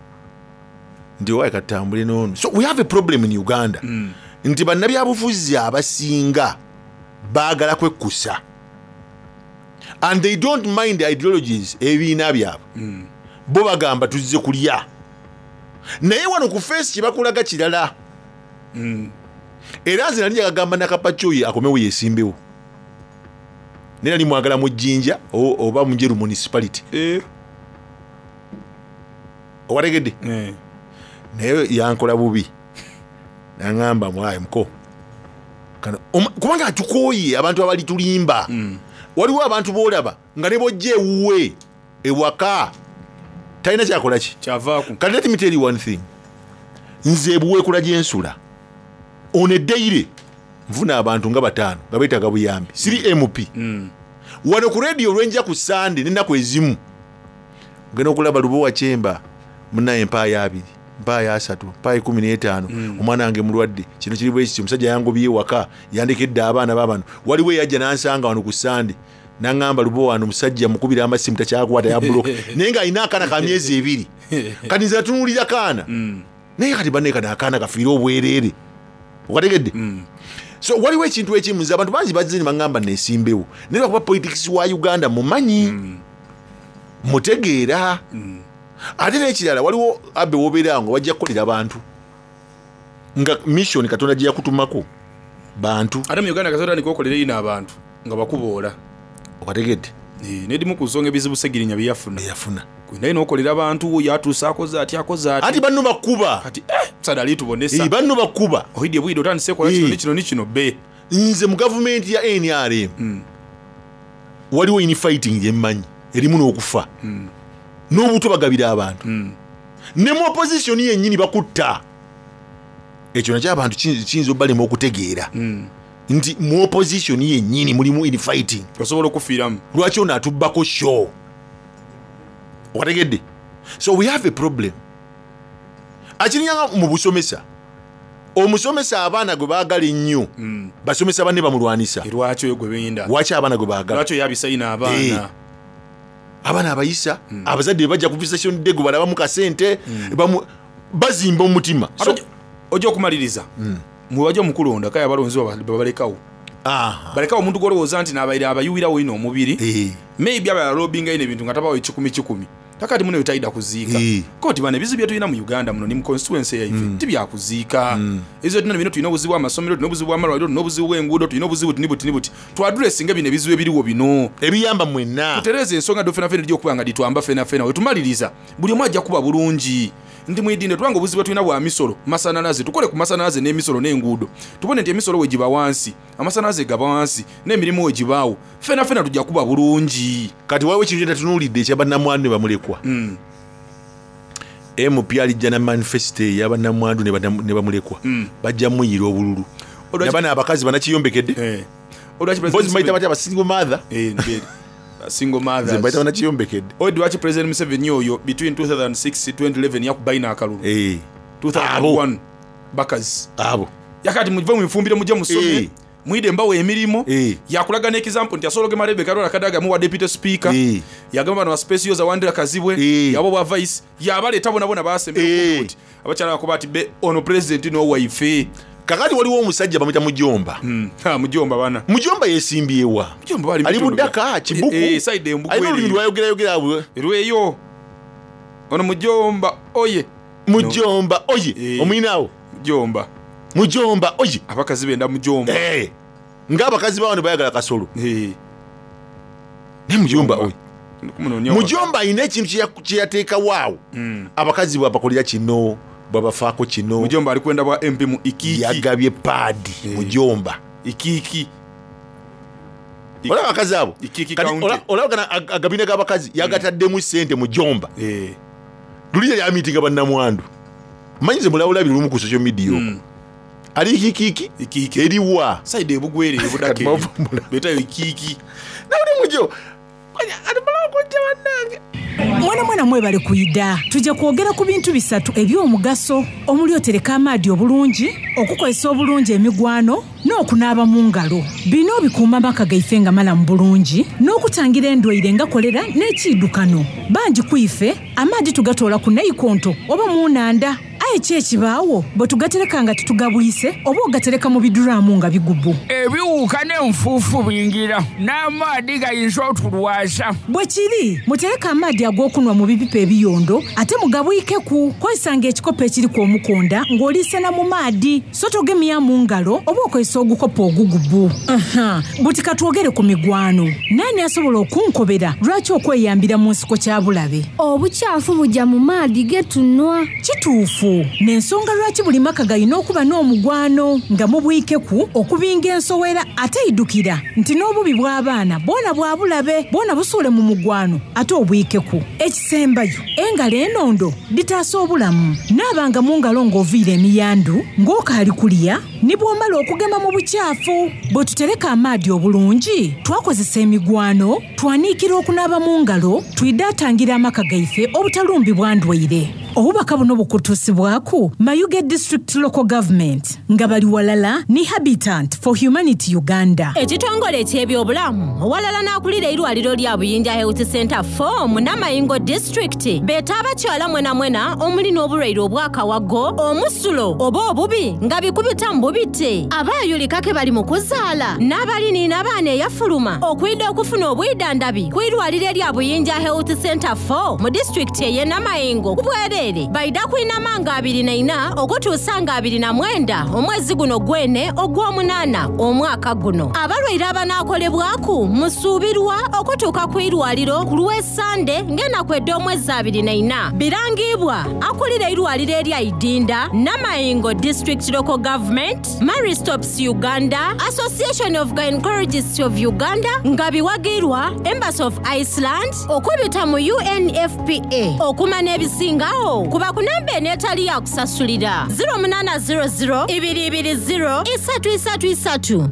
nti owaye katutambule noono. So we have a problem in Uganda nti bannabyabufuzi abasinga baagala kwekkusa and they don't mind ideologies, ebibiina byabwe. Bo bagamba tuzze kulya, naye wano ku feesi kyebakulaga kirala. Era nze nali njagagamba Nakapacoyi akomewo yesimbewo, naye nali mwagala mu Jjinja o- oba mu Njeru Municipality. Owategedde, naye yankola bubi, naŋamba mwayi muko Kano- oma- kubanga atukooye abantu abali tulimba. Waliwo abantu boolaba nga ne bojja ewuwe ewaka talina kyakola ki. Kyavaaku. Kati let me tell you one thing, nze ebuweekula gyensula ono eddeire nfuna abantu nga bataano nga beetaaga buyambi, siri M P. Wano ku rediyo olwenja ku Sande n'ennaku ezimu ogenda okulaba Lubowa Kyemba munaye, mpaayo abiri, mpaayo asatu, mpaayo kumi n'etaano, omwana wange mulwadde, kino kiri bwe kiti, omusajja yangobye ewaka, yandekedde abaana babano. Waliwo eyajja n'ansanga wano ku Sande naŋŋamba, "Lubowa, wano omusajja mukubira amasimu takyakwata, yabuloka," naye ng'alina akaana ka myezi ebiri. Kati nze natunuulira kaana, naye kati bannaye kano akaana kafiire obwereere, okategedde? So waliwo ekintu ekimu, nze abantu bangi bazze ne baŋŋamba neesimbewo, naye lwakuba politics wa Uganda mumanyi, mutegeera. Ate n'ekirala, waliwo abe wobeera nga wajja kukolera bantu nga mission Katonda gye yakutumako bantu. Ate mu Uganda kasota tandika okolera ino abantu nga bakuboola. Okategedde? Nedimu ku nsonga ebizibu Segirinya byeyafuna. Yafuna. Naye nokolera abantu yatuusa akoze ati akoze ati. Ati banno bakuba. Kati eh sada alitubonesa. Eh, banno bakuba. Ohidde bwidde otandise kola kino Eh. ne kino ne kino be. Nze mu gavumenti ya N R M waliwo infighting gyemmanyi. Erimu n'okufa n'obutwa bagabira abantu ne mu opposition yennyini bakutta. Ekyo nakyo abantu kiyinza kiyinza obalema okutegeera nti mu opposition yennyini mulimu infighting. Osobola okufiiramu. Lwaki ono atubbako show? Okategedde? So we have a problem. Akirinyanga mu busomesa, omusomesa abaana gwe baagala ennyo, basomesa banne bamulwanisa. Lwaki oyo gwe benda? Lwaki abaana gwe baagala? Lwaki oyo abisayina Eh. abaana? Abaana abayisa, abazadde bajja ku visitation day gwe balabamu kasente, bamu- bazimba omutima. Ate ojja- ojja okumaliriza mwebajja omukulonda kaya abalonzi baba- babalekawo, balekawo omuntu gwolowooza nti nabaire abayuwirawo ino omubiri, maybe aba yalobinga ino ebintu nga tabawo ekikumi kikumi kakati muno yotayida kuziika koti bano ebizibu byetulina mu Uganda muno ni mu constituency yaife tibyakuziika. Ebizibu byetulina bino, tulina obuzibu bw'amasomero, tulina obuzibu bw'amalwaliro, tulina obuzibu bw'enguudo, tulina obuzibu buti buti buti. Twadressinga bino ebizibu ebiriwo bino ebiyamba mwenna, tutereeza ensonga do fena fena ejja okuba nga ditwamba fena fena. Wetumaliriza buli omu ajja kuba bulungi nti mwidinde tubanga obuzibu bwetulina bwa misolo, masanalaze. Tukole ku masanalaze n'emisolo n'enguudo, tubone nti emisolo wegiba wansi, amasanyalaze gaba wansi, n'emirimu wegibaawo, fena fena tujja kuba bulungi. Kati waliwo ekintu kyentatunuulidde ekyabannamwandu ne bamulekwa. M P alijja na manifesito eyabannamwandu ne banna- ne bamulekwa, bajja muyira obululu. Nabano abakazi banakiyombekedde. Mpozi mbayita batya? Abasingle mother. Single mothers. Nze mbayita banakiyombekedde. Oyo lwaki President Museveni oyo between two thousand six twenty eleven yakubalina akalulu two thousand one bakazi abo yakati muve mwifumbire mujje musome mwide mbawa emirimu. Yakulaga n'example nti asobola ogema Rebecca Lwala Kadaga muwa deputy speaker, yagamba bano ba space yoza wandira Kazibwe yabo bwa vice, yabaleeta bona bona basembera kuti abakyala bakuba ati be ono president n'owaife. Kakati waliwo omusajja bamuyita Mujomba. Mujomba bana. Mujomba yesimbyewa? Mujomba bali ali mu bitundu Budaka, bya- Kibuku. Eh, eh, side Embugu Alina olulimi eriyo. lwayogerayogera bwe. Erweyo ono Mujomba oye. Mujomba oye, omuyinaawo? Mujomba. Mujomba oye. Abakazi benda Mujomba. Ng'abakazi bawano bayagala kasolo, naye Mujomba oye. Mujomba alina ekintu kye ya- kye yateekawo awo, abakazi bwabakolera kino, bwabafaako kino. Mujomba ali kwenda bwa M P mu Ikiiki. Yagabye paadi Mujomba. Ikiiki. Olaba abakazi abo. Ikiiki Kati County. ola- olaba gana ag- agabina g'abakazi yagataddemu sente Mujomba. Luli yali amitinga bannamwandu, manyi nze mulabulabi lumu ku social media okwo ali Ikiiki eriwa. Side ebugwere ebudaka betayo Ikiiki. Nawuli mujo. Mwana mwana mwebale kuyida. Tujja kwogera ku bintu bisatu eby'omugaso omuli otereka amaadi obulungi, okukozesa obulungi emigwano n'okunaaba mu ngalo. Bino bikuuma amaka gaife nga malamu bulungi n'okutangira endwaire nga kolera n'ekiidukano. Bangi ku ife amaadi tugatoola ku naikonto oba mu nnanda, aye ki ekibaawo bwe tugatereka nga tetugabwise oba ogatereka mu biduraamu nga bigubu? Ebiwuka n'enfuufu bingira n'amaadi gayinza otulwaza. Bwe kiri, mutereke amaadi ag'okunwa mu bipipa ebiyondo ate mugabwikeku. Kozesanga ekikopo ekiriku omukonda ng'oliisena mu maadi, so togemya mu ngalo oba okozesa ogukopo ogugubu. Aha, buti katwogere ku migwano. Naani asobola okunkobera lwaki okweyambira mu nsiko kya bulabe? Obukyafu bujja mu maadi getunwa. Kituufu, n'ensonga lwaki buli maka galina okuba n'omugwano nga mubwikeku okubinga ensowera. Ate idukira nti n'obubi bw'abaana bwona bwa bulabe, bwona busuule mu mugwano ate obwikeku. Ekisembayo, engalo enondo ditaasa obulamu. Naabanga mu ngalo ng'oviira emiyandu, ng'okaali kulya ne bw'omala okugema mu bukyafu. Bwe tutereka amaadi obulungi, twakozesa emigwano, twaniikira okunaaba mu ngalo, twidaatangira amaka gaife obutalumbibwa ndwaire. Obubaka buno bukutuusibwaku Mayuge District Local Government nga bali walala ne Habitat for Humanity Uganda. Ekitongole eky'ebyobulamu walala n'akulira eirwaliro lya Buyinja Health Center four mu Namayingo District beeta abakyala mwena mwena omuli n'obulwaire obwakawago, omusulo oba obubi nga bikubita mu bubite, abaayulikake bali mu kuzaala n'abaliniina abaana eyafuluma okwidda okufuna obwidandabi ku irwaliro erya Buyinja Health Center four mu disitulikiti ey'e Namayingo ku bwereere. Bwereere baida kwinama nga abiri na ina okutuusa nga abiri na mwenda omwezi guno gwene ogw'omunaana omwaka guno. Abalwaire abanaakolebwaku musuubirwa okutuuka ku irwaliro ku lw'Essande ng'ennaku ed'omwezi abiri na ina. Birangibwa akulira irwaliro erya Idinda, Namayingo District Local Government, Marie Stopes Uganda, Association of Gynecologists of Uganda nga biwagirwa Embassy of Iceland okubita mu U N F P A. Okumanya ebisingawo kuba ku namba eno etali ya kusasulira zero munana zero zero ibiri ibiri zero isatu isatu isatu.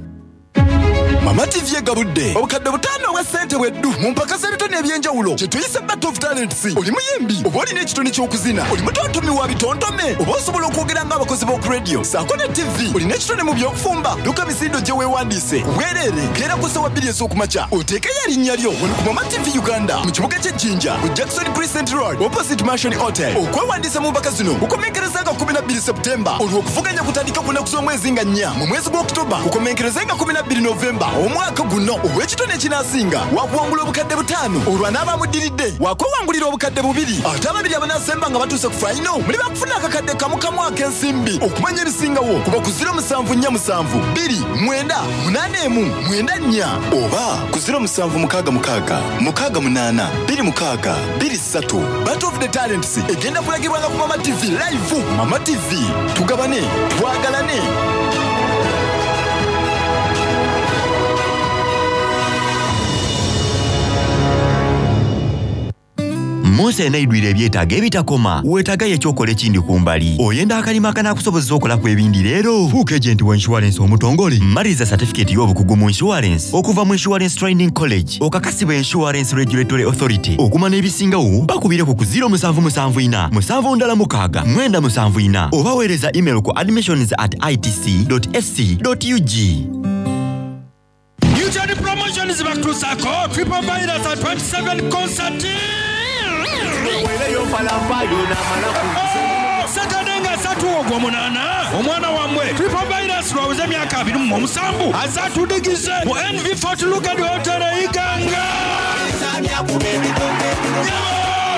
Mama T V egabudde obukadde butaano obwa ssente bweddu mu mpaka z'ebitone eby'enjawulo kye tuyise Battle of Talents. Oli muyimbi oba olina ekitone ky'okuzina, oli mutontomi wa bitontome oba osobola okwogera ng'abakozi b'oku radio ssaako ne T V, olina ekitone mu by'okufumba, dduka misindo gye weewandiise ku bwereere keera ku ssaawa bbiri ez'okumakya oteekeyo erinnya lyo wano ku Mama T V Uganda mu kibuga ky'e Jinja ku Jackson Crescent Road opposite Mansion Hotel. Okwewandiisa mu mpaka zino kukomenkereza nga kkumi na bbiri September, olwo okuvuganya kutandika ku nnaku z'omwezi nga nnya mu mwezi gwa October kukomenkereze nga kkumi na bbiri November omwaka guno. Ow'ekitone ekinaasinga wakuwangula obukadde butaano, olwo anaabamuddiridde wakwewangulira obukadde bubiri, ate ababiri abanaasemba nga batuuse ku fayino muli bakufuna akakadde kamu kamu ak'ensimbi. Okumanya ebisingawo kuba ku ziro musanvu nnya musanvu bbiri mwenda munaana emu mwenda nnya oba ku ziro musanvu mukaaga mukaaga mukaaga munaana bbiri mukaaga bbiri ssatu. Battle of the Talents egenda kulagibwanga ku Mama T V live. Mama T V, tugabane twagalane. Musa enaidwire ebyetaago ebitakoma, weetaagayo ekyokola ekindi ku mbali. Oyenda akalima akanaakusobozesa okolaku ebindi leero. Fuuka agent wa insurance omutongole. Maliriza certificate y'obukugu mu insurance okuva mu Insurance Training College okakasibwa Insurance Regulatory Authority. Okumanya ebisingawo bakubireko ku ziro musanvu musanvu ina musanvu ndala mukaaga mwenda musanvu ina oba weereza email ku admissions at i t c dot s c dot u g. Mutual Promotions bakutuusako Triple Virus at twenty-seven concert. Saturday nga ssatu ogw'omunaana omwana wammwe Triple Virus lwaweze emyaka abiri mu omusanvu azatudigize mu N V Fort Lugard Hotel e Iganga.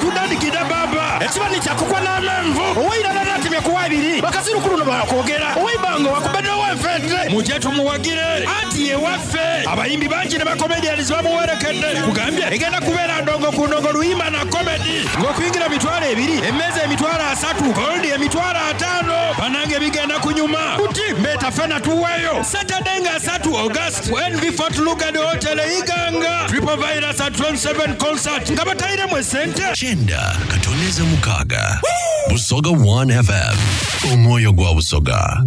Tutandikidde baba ekibani kyakukwa n'amenvu ow'eirala n'atemya kuwa ebiri bakazirukulu no bakwogera ow'eibanga wakubeddewo enfente mujje tumuwagire anti ye waffe abayimbi bangi ne bakomedians bamuwerekedde kugambye egenda kubeera ndongo ku ndongo luyimba na komedi ng'okuyingira mitwalo ebiri emmeeza emitwalo asatu goldi emitwalo ataano banange bigenda kunyuma kuti mbeeta ffena tuweeyo Saturday nga asatu August ku N V Fort Lugard Hotel e Iganga Triple Virus at twenty-seven concert nga batayiremu esente. Chenda katoneza mukaga Busoga one F M omwoyo gwa Busoga.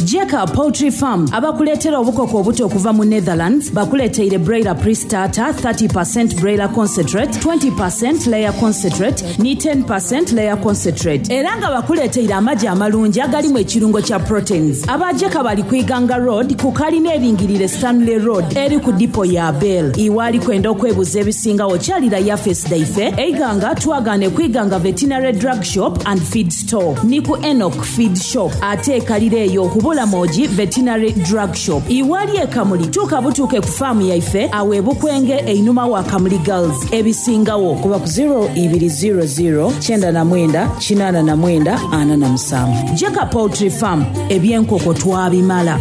Jeka Poultry Farm abakuleetera obukoko obuto okuva mu Netherlands bakuleeteire broiler pre-starter thirty percent broiler concentrate, twenty percent layer concentrate ni ten percent layer concentrate era nga bakuleeteire amagi amalungi agalimu ekirungo kya proteins. Aba Jeka bali ku Iganga Road ku kalina eringirire Stanley Road eri ku dipo ya Bell. Iwali kwenda okwebuza ebisingawo kyalira yafesi daife Iganga twagane ku Iganga Veterinary Drug Shop and Feed Store ni ku Enoch Feed Shop ate ekalira eyo kubula Moji Veterinary Drug Shop. Iwali ekamuli tuuka butuuke ku faamu yaife awe Bukwenge einuma wa Kamuli Girls. Ebisingawo kuba ku zero ibiri zero zero kyenda na mwenda kinaana na mwenda ana na musanvu. Jeka Poultry Farm ebyenkoko twabimala.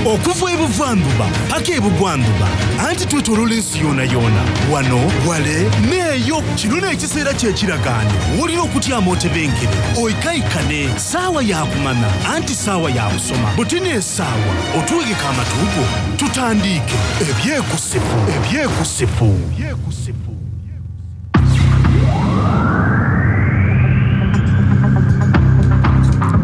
Okuva ebuvanduba paka ebugwanduba anti twetoloola ensi yona yona wano wale neeyo kino n'ekiseera ky'ekiragaano w'olina okutyama otebenkere oikaikane saawa yakumana anti saawa yakusoma butini essaawa otuwegeka amatuugo tutandiike ebyekusifu ebyekusifu ebyekusifu.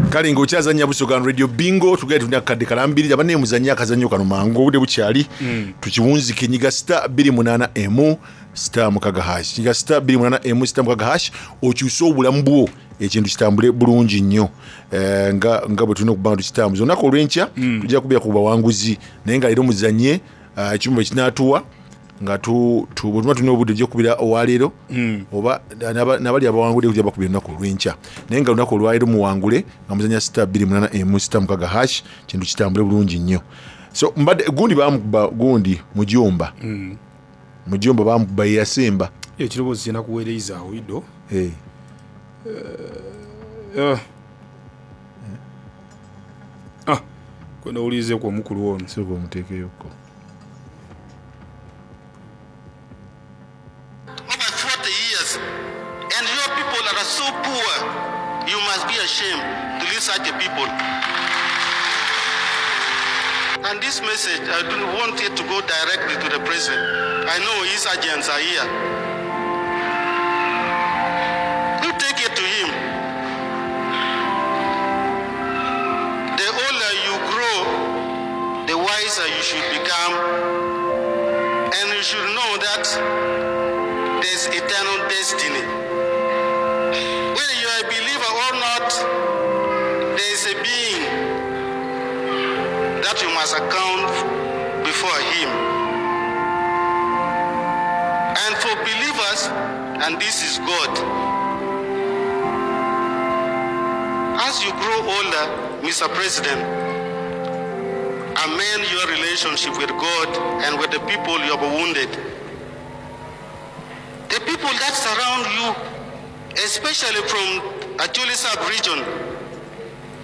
Kale ng'okyazannya Busoga Radio Bingo tugenda tulina akadde kalambirira banne muzannye akazannyo kano mangu obudde bukyali mm. Tukiwunzike nyiga star bbiri munaana emu star mukaga hash nyiga star bbiri munaana emu star mukaga hash okyuse obulamu bwo ekintu kitambule bulungi nnyo e, nga, nga bwe tulina okuba nga tukitambuza olunaku olw'enkya mm. Tujja kubeera ku bawanguzi naye nga leero muzannye uh, ekimu bwe kinaatuwa nga tu tu bwe tulina obudde tujja kukubira owaleero mm. Oba n'abali abawangudde kujja bakubira olunaku olw'enkya naye nga olunaku olwaleero muwangule nga muzannya star bbiri munaana emu star mukaga hash kintu kitambule bulungi nnyo. So mbadde gundi bamukuba gundi mujomba. Mm. Mujomba bamukuba yeyasemba. Ekiroboozi kyenakuweereza awo ido. Eh. Eh. Ah, kwenda owulirizeeku omukulu ono. Sooka omuteekeyoko. forty years, and your people that are so poor, you must be ashamed to lead such a people. And this message, I don't want it to go directly to the president. I know his agents are here. You take it to him. The older you grow, the wiser you should become. And you should know that there's eternal destiny. Whether you are a believer or not, there is a being that you must account before him. And for believers, and this is God. As you grow older, Mister President, amend your relationship with God and with the people you have wounded. The people that surround you, especially from Acholi sub-region,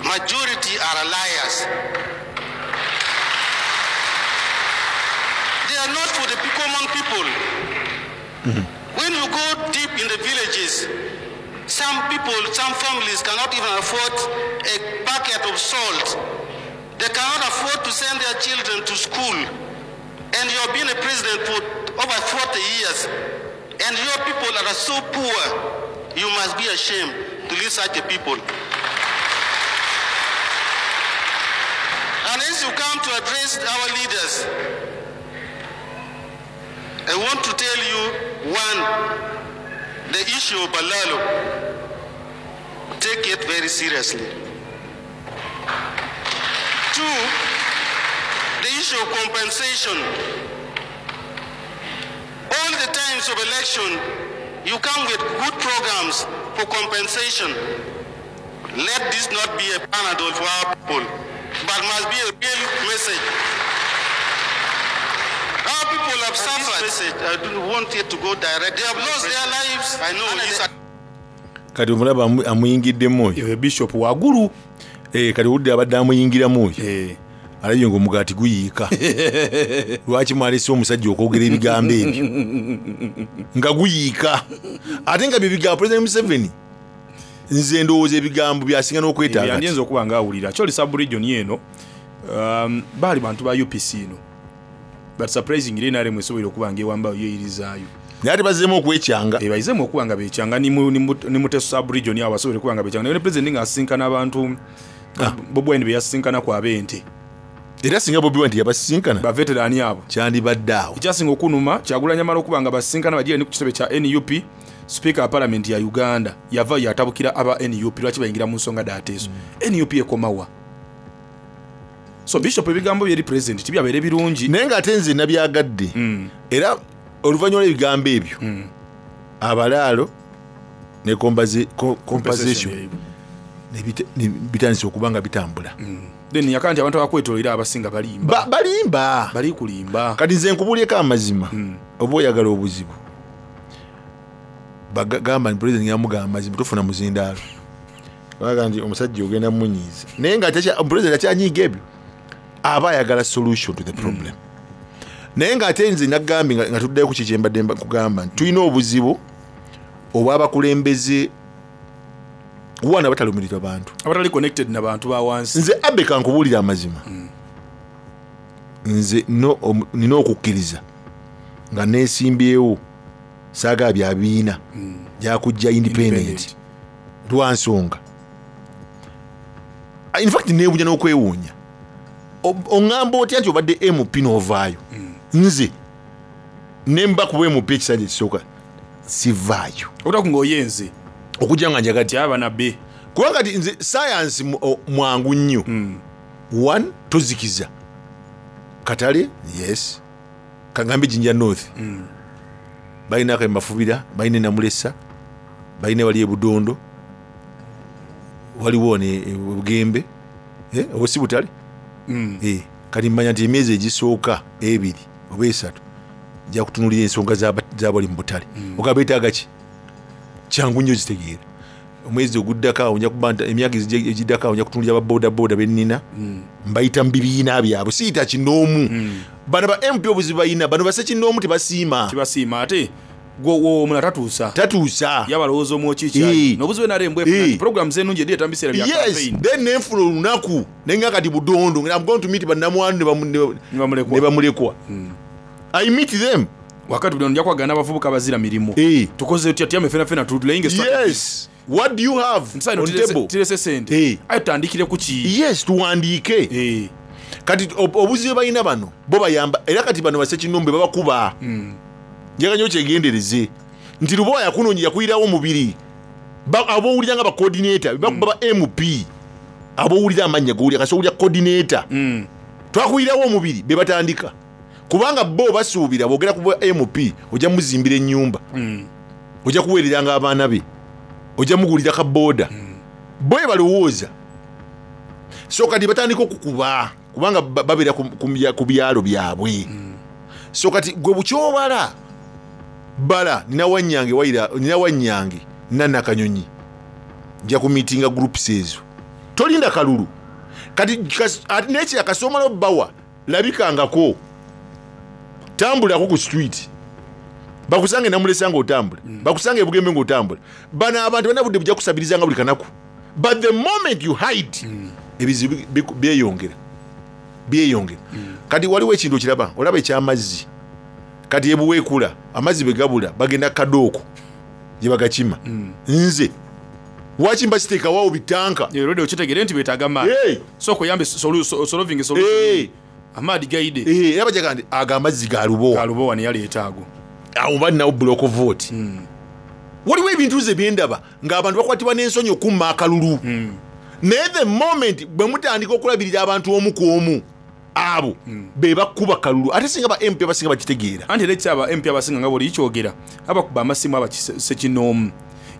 majority are liars. They are not for the common people. When you go deep in the villages, some people, some families cannot even afford a packet of salt. They cannot afford to send their children to school. And you have been a president for over forty years. And your people that are so poor, you must be ashamed to lead such a people. And as you come to address our leaders, I want to tell you, one, the issue of Balalo, take it very seriously. Two, the issue of compensation. All the times of election, you come with good programs for compensation. Let this not be a panadol for our people, but must be a real message. Our people have suffered. This message, I don't want it to go direct. They have lost their lives. I know. It's a Kati omulaba amu- amuyingiddemu oyo. Bishop wagulu. Eh, kati owulidde abadde amuyingiramu oyo. Alabye ng'omugaati guyiika. Lwaki mwalese omusajja okwogera ebigambo ebyo nga guyiika, ate nga bye bigambo President Museveni, nze ndowooza ebigambo byasinga n'okwetaaga. Yandiyinza okuba nga awulira. Acholi sub-region eno, um, baali bantu ba U P C eno, but surprisingly N R M esobola okuba nga ewambayo yeeyirizaayo. Naye ate bazzeemu okwekyanga. Bayizeemu okuba nga bekyanga ni mu- ni mu- ni Muteso sub-region awo basobole okuba nga bekyanga. Naye ne president ng'asisinkana abantu Bobi Wine be yasisinkanaku ab'ente. Era singa Bobi Wine teyabasisinkana, baveterani abo, kyandibadde awo. Ekyasinga okunuma, Kyagulanyi amala okuba nga basisinkana bagira ni ku kitebe kya N U P, speaker wa parliament ya Uganda yava yatabukira aba N U P, lwaki bayingira mu nsonga daateeso? N U P ekomawa? So bishop ebigambo byeri president tibyabeere birungi. Naye ng'ate nze nabyagadde. Era oluvannyuma lw'ebigambo ebyo, abalaalo ne compensa- co- compensation ne bita- ne bitandise okuba nga bitambula. Then yaka nti abantu abakwetolera abasinga balimba. Ba- balimba bali kulimba. Kati nze nkubulyeko amazima, oba oyagala obuzibu, bagamba nti president yamugamba amazima, tofuna muzindaalo. Baga nti omusajja ogenda munyiiza, naye nga atakya- president akyanyiiga ebyo, aba ayagala solution to the problem. Naye ng'ate nze nagambye nga nga tuddayo ku ki kyembadde mba- kugamba nti tulina obuzibu obw'abakulembeze wana batalumirirwa bantu, abatali connected na bantu ba wansi. Nze abe kankubuulira amazima, nze no- omu- nina okukkiriza nga neesimbyewo saaga bya biina gyakujja independent lwa nsonga. In fact neewuunya n'okwewuunya. O- oŋŋamba otya nti obadde M P n'ovaayo? Nze nemba kuba M P ekisanja ekisooka sivaayo. Okutaku ng'oyenze okujja nga njagadde abanabe, kubanga kati nze sayansi mwangu nnyo. One, tozikiza katale, yes, kagambe Jinja North balina akemafubira, balina enamulesa, balina wali ebudondo, waliwo ne Bugembe, oba si butale. Eh, Kati mmanya nti emyezi egisooka ebiri oba esatu nja kutunulira ensonga z'aba- z'abali mu butale, oga beetaaga ki, kyangu nnyo zitegeera. Omwezi oguddako awo nja kuba nti emyaka ezijja- egiddako awo nja kutunulira ababodaboda bennina, mbayita mu bibiina byabwe, siyita kinoomu. Bano ba M P obuzibu balina, bano basekinoomu tebasiima. Tebasiima, ate omulala tatuusa. Tatuusa. Yabalowooza omwokikyali nobuzibu N R M bwefuna programs ennungi edi etambisera bya Yes campaign. Then nenfuna olunaku nenga kati Budondo, I'm going to meet bannamwandu ne bamu- ne bamulekwa. I meet them. Wakati Budondo nja kwagana abavubuka bazira mirimu, tukoze tutya? Tyame fena fena tulayinge. Yes, what do you have on table? Tirese sente, aye tutandikire ku ki? Yes, tuwandiike. Kati ob- obuzibu balina bano bo bayamba, era kati bano basekinombe babakuba. Njagala nyo kyegendereze nti Lubowa yakunoonya, yakuyirawo omubiri. Ba- abowulira nga bacoordinator bakuba ba M P, abowulira amannya gowulira kasi owulira coordinator twakuyirawo omubiri, be batandika, kubanga bo basuubira bwogera ku bwa M P ojja muzimbira ennyumba, ojja kuweereranga abaana be, ojja mugulira ka booda, bo balowooza. So kati batandika okukuba kubanga ba- babeera ku- ku bya- ku byalo byabwe. So kati gwe bukyobala bala, nina wanyange waira, nina wanyange nanakanyonyi, nja ku meetinga groups ezo, tolinda kalulu. Kati kas- ate nekira kasomala obbawa, labikangako, tambulako ku street, bakusange Namulesa ngaotambula, bakusange ebugembe ngaotambula. Bano abantu balina budde bujja kusabirizanga buli kanaku, but the moment you hide, ebizibu bi- bi- byeyongera byeyongera. Kati waliwo ekintu okiraba, olaba ekyamazzi kati ebuweekula amazzi bwe gabula bagenda kadooko gye bagakima. Nze waki mba siteekawawo bitanka? Already okitegere nti betaaga maadi, so okuyambe solving solution amaadi gaide. Era bajaga nti ago amazzi ga Lubowa. Ga Lubowa neyaleeta ago. Awo balinawo block vote. Waliwo ebintu nze byendaba ng'abantu bakwatibwa n'ensonyi okumma akalulu, naye the moment bwe mutandika okulabirira abantu omu ku omu, abo be bakuba kalulu. Ate singa ba M P abasinga bakitegeera. Anti era ekyaba M P abasinga nga buli kyogera abakuba amasimu abakisekinoomu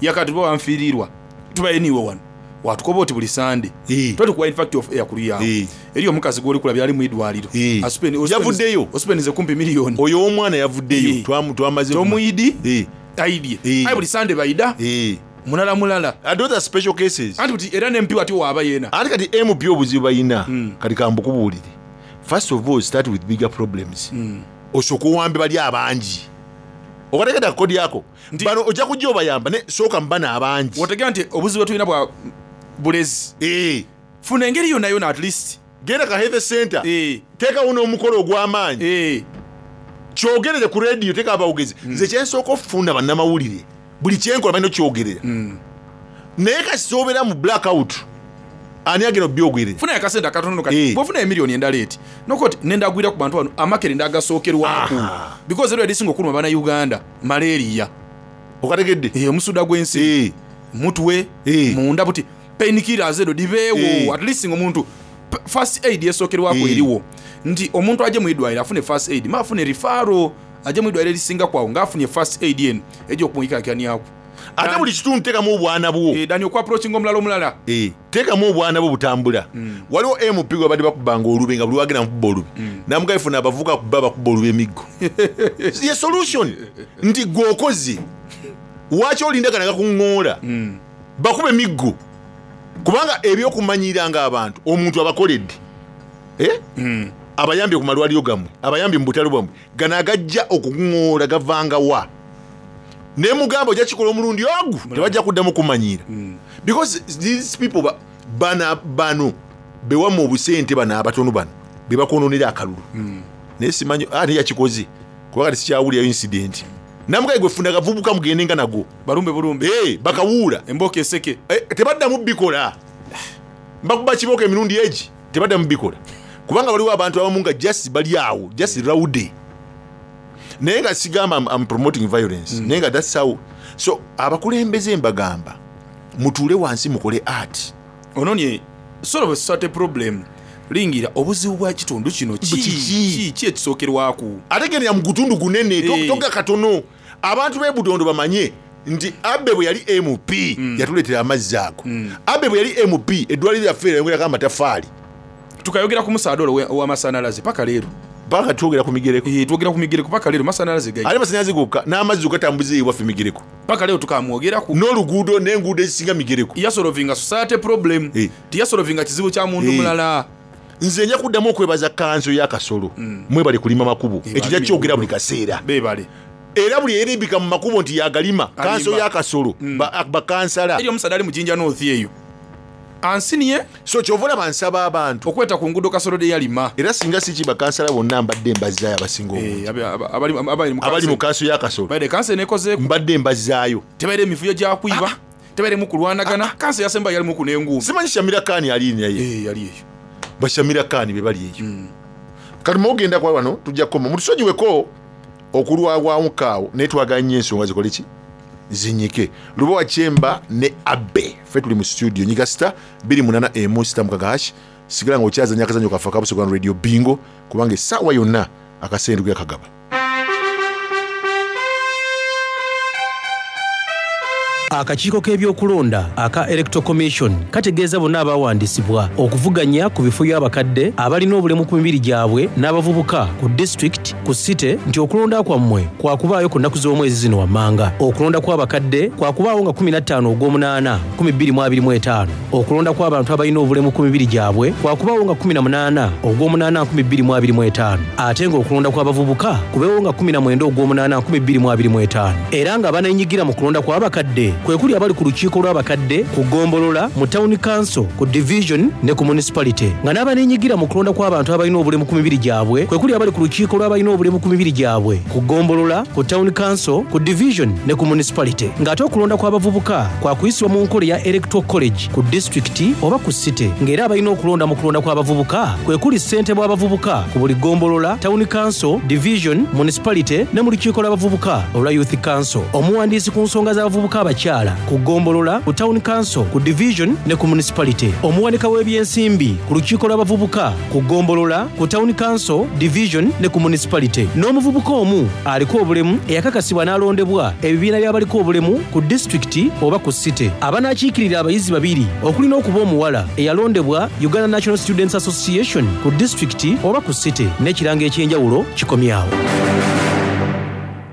yakati tuba banfiirirwa tubaye niwe wano watukoba oti buli Sande twali kuwa infact of air kuli yawo eri omukazi gwoli kulabya ali mu idwaliro. Yavuddeyo. Osipenize kumpi miliyoni. Oyo omwana yavuddeyo. Twamaze. Tomuyidi aidye, aye buli Sande baida mulala mulala. And those are special cases. Anti buti era ne M P wati waaba yeena. Ate kati M P obuzibu balina, kati kambukubuulire, first of all start with bigger problems. Osooka owambe bali abangi, okategeda kodi yako bano ojja kujja obayamba, ne sooka mubano abangi. Otegera nti obuzibu bwetulina bwa bulezi, funa engeri yonna yona at least. Genda ka health center, teekawo n'omukolo ogw'amaanyi, kyogerere ku rediyo, teeka abawogezi. Nze kyensooka okufuna bannamawulire, buli kyenkola balina okyogerera, naye kasita obeera mu blackout, ani agenda obyogerera? Funa akasente akatono kati bwofuna emiliyoni endala eti nokoti nendagwira ku bantu bano amakerenda agasookerwako, because era erisinga okuluma bannayuganda malaria. Okategedde? Omusuda gw'ensi, mutwe munda, buti painkillers edo dibeewo, at least nga omuntu p- first aid esookerwako eriwo, nti omuntu ajje mu idwaliro afune first aid, ma afune referral ajje mu idwaliro erisinga kwawo ng'afunye first aid eno ejja okumuyikakaniaku. Ate buli kitundu teekamu obwana bwo. Dani okwapproachinga omulala omulala. Teekamu obwana bwo butambula. Waliwo M P gwe babadde bakubanga olube, nga buli wagenda mukuba olube, namugaifuna abavubuka kuba bakuba olube emiggo. Ye solution nti gwe okoze, waki olindagana gakuŋŋoola bakuba emiggo? Kubanga ebyokumanyiranga abantu, omuntu abakoledde, Eh? Abayambye ku malwaliro gammwe, abayambye mu butale bwammwe, gano agajja okuŋŋoola gavangawa? Naye mugamba ojja kikola omulundi ogu, tebajja kuddamu kumanyira, because these people ba- bana bano bewamu obusente, bano abatono bano bebakononera akalulu. Naye simanyi ate yakikoze, kuba kati sikyawulirayo incident. Namugaye gwe funa gavubuka mugende nga nago. Balumbe bulumbe. Bakawuula. Emboka eseke. Tebaddamu bikola, mbakuba kibooko emirundi egi, tebaddamu bikola, kubanga waliwo abantu abamu nga just bali awo, just rowdy. Naye nga sigamba I'm, I'm promoting violence, naye nga that's how. So abakulembeze mbagamba mutuule wansi mukole art. Ononye solve society problem, lingira obuzibu bwa kitundu kino ki ki ekisookerwako. Ate gendera mu gutundu gunene, to- toga katono. Abantu b'e Budondo bamanye nti Abe bwe yali M P yatuleetera amazzi ago, Abe bwe yali M P eddwaliro lyaffe yayongerako amatafaali. Tukayogera ku musaada olwo ow'amasannyalaze paka leero. Paka twogera ku migereko. Eh, twogera ku migereko paka leero masannyalaze gayi. Ate masannyalaze gokka n'amazzi ogatambuza ewaffe migereko. Paka leero tukamwogerako. N'oluguudo n'enguudo ezisinga migereko. Yasolovinga society problem. Eh. Tiyasolovinga kizibu kya muntu Eh. mulala. Nze nja kuddamu okwebaza kanso ya Kasolo. Mwebale kulima makubo. Eh, Ekyo nja kyogera buli kaseera. Beebale. Era buli eyerimbika mu makubo nti yagalima kanso Alimba. ya Kasolo ba- bakansala. Eri omusaada ali mu Jinja North eyo. Ansiniye. So kyova olaba nsaba abantu okweta ku nguudo Kasolo de yalima. Era singa si ki bakansala bonna mbadde mbazaayo abasinga obungi. Abali mu kanso ya Kasolo. Baide kanso enekozeeko. Mbadde mbazaayo. Tebaire emivuyo gya kwiba. Tebairemu kulwanagana. Kanso yasemba yalimu ku n'enguumi. Simanyi Shamira Khan ali naye. Eh, yali eyo. Bashamira Khan be bali eyo. Kati mwogenda kwa wano tujja kukoma. Mutusonyiweko okulwawamukaawo naye twagala nnyo ensonga zikole ki? Zinyike. Lubowa Chemba ne Abe. Ffe tuli mu studio nyiga sita bbiri munaana emu sita mukaaga hash. Sigala ng'okyazannya akazannyo kaffe aka Busoga Radio Bingo kubanga essaawa yonna akasente tugenda kagaba. Akakiiko k'ebyokulonda aka Electoral Commission kategeeza bonna abawandiisibwa okuvuganya ku bifo by'abakadde abalina obulemu ku mibiri gyabwe n'abavubuka ku disitulikiti ku site nti okulonda kwammwe kwakubaayo ku nnaku z'omwezi zino wammanga. Okulonda kw'abakadde kwakubaawo nga kkumi na ttaano ogw'omunaana nkumi bbiri mu abiri mu etaano. Okulonda kw'abantu abalina obulemu ku mibiri gyabwe kwakubaawo nga kkumi na munaana ogw'omunaana nkumi bbiri mu abiri mu etaano, ate ng'okulonda kw'abavubuka kubeewo nga kkumi na mwenda ogw'omunaana nkumi bbiri mu abiri mu etaano. Era nga baneenyigira mu kulonda kw'abakadde kwe kuli abali ku lukiiko lw'abakadde ku ggombolola, mu town council, ku division ne ku municipality, nga n'abaneenyigira mu kulonda kw'abantu abalina obulemu ku mibiri gyabwe kwe kuli abali ku lukiiko lw'abalina obulemu ku mibiri gyabwe ku ggombolola, ku town council, ku division ne ku municipality, ng'ate okulonda kw'abavubuka kwakuyisibwa mu nkola eya electoral college ku disitulikiti oba ku site, ng'era abalina okulonda mu kulonda kw'abavubuka kwe kuli ssentebe w'abavubuka ku buli ggombolola, town council, division, municipality ne mu lukiiko lw'abavubuka olwa youth council, omuwandiisi ku nsonga z'abavubuka abakyala ku ggombolola, ku town council, ku division ne ku municipality, omuwanika w'ebyensimbi ku lukiiko lw'abavubuka ku ggombolola, ku town council, division ne ku municipality, n'omuvubuka omu aliko obulemu eyakakasibwa n'alondebwa ebibiina by'abaliko obulemu ku disitulikiti oba ku site. Abanaakiikirira abayizi babiri okulina okuba omuwala eyalondebwa Uganda National Students Association ku disitulikiti oba ku site, n'ekirango eky'enjawulo kikomyawo.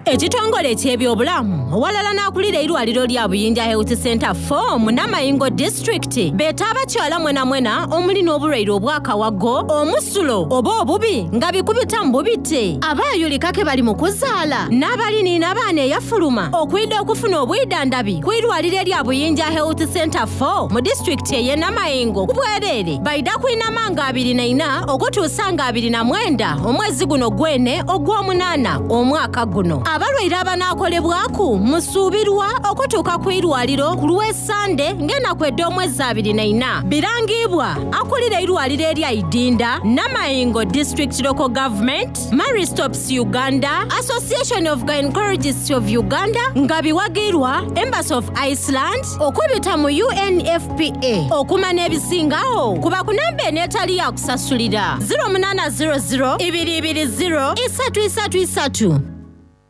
Ekitongole eky'ebyobulamu owalala n'akulira eirwaliro lya Buyinja Health Center four mu Namayingo District beeta abakyala mwena mwena omuli n'obulwaire obw'akawago, omusulo oba obubi nga bikubita mu bubite, abaayulika ke bali mu kuzaala n'abaliniina abaana eyafuluma okwidda okufuna obwidandabi ku irwaliro erya Buyinja Health Center four mu disitulikiti ey'e Namayingo ku bwereere. Baida kwinama nga abiri na ina okutuusa nga abiri na mwenda omwezi guno gwene ogw'omunaana omwaka guno. Abalwaire abanaakolebwaku musuubirwa okutuuka ku irwaliro ku lw'Essande ng'ennaku ed'omwezi abiri na ina. Birangibwa akulira eirwaliro erya Idinda, Namayingo District Local Government, Marie Stopes Uganda, Association of Gynecologists of Uganda nga biwagirwa Embassy of Iceland okubita mu U N F P A. Okumanya ebisingawo kuba ku namba eno etali ya kusasulira zero munaana zero zero ibiri ibiri zero isatu isatu isatu.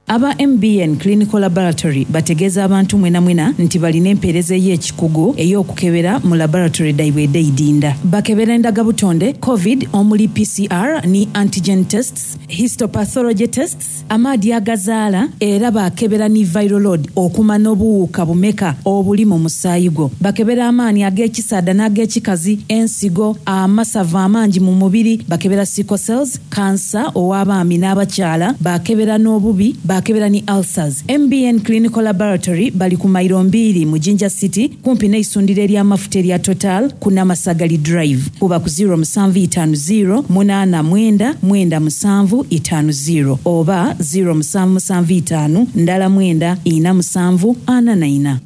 Aba M B N Clinical Laboratory bategeeza abantu mwena mwena nti balina empeereza ey'ekikugu ey'okukebera mu laboratory daibwe ed'eidinda. Bakebera endagabutonde, COVID omuli P C R ni antigen tests, histopathology tests, amaadi agazaala, era bakebera ni viral load okuma n'obuwuka bumeka obuli mu musaayi gwo. Bakebera amaanyi ag'ekisaada n'ag'ekikazi, ensigo, amasavu amangi mu mubiri, bakebera sickle cells, kansa ow'abaami n'abakyala, bakebera n'obubi, bakebera ni ulcers. M B N Clinical Laboratory bali ku mayiro mbiri mu Jinja City kumpi n'eisundiro ery'amafuta erya Total ku Namasagali Drive. Kuba ku zero musanvu itaano zero munaana mwenda mwenda musanvu itaano zero oba zero musanvu musanvu itaano ndala mwenda ina musanvu ana na ina.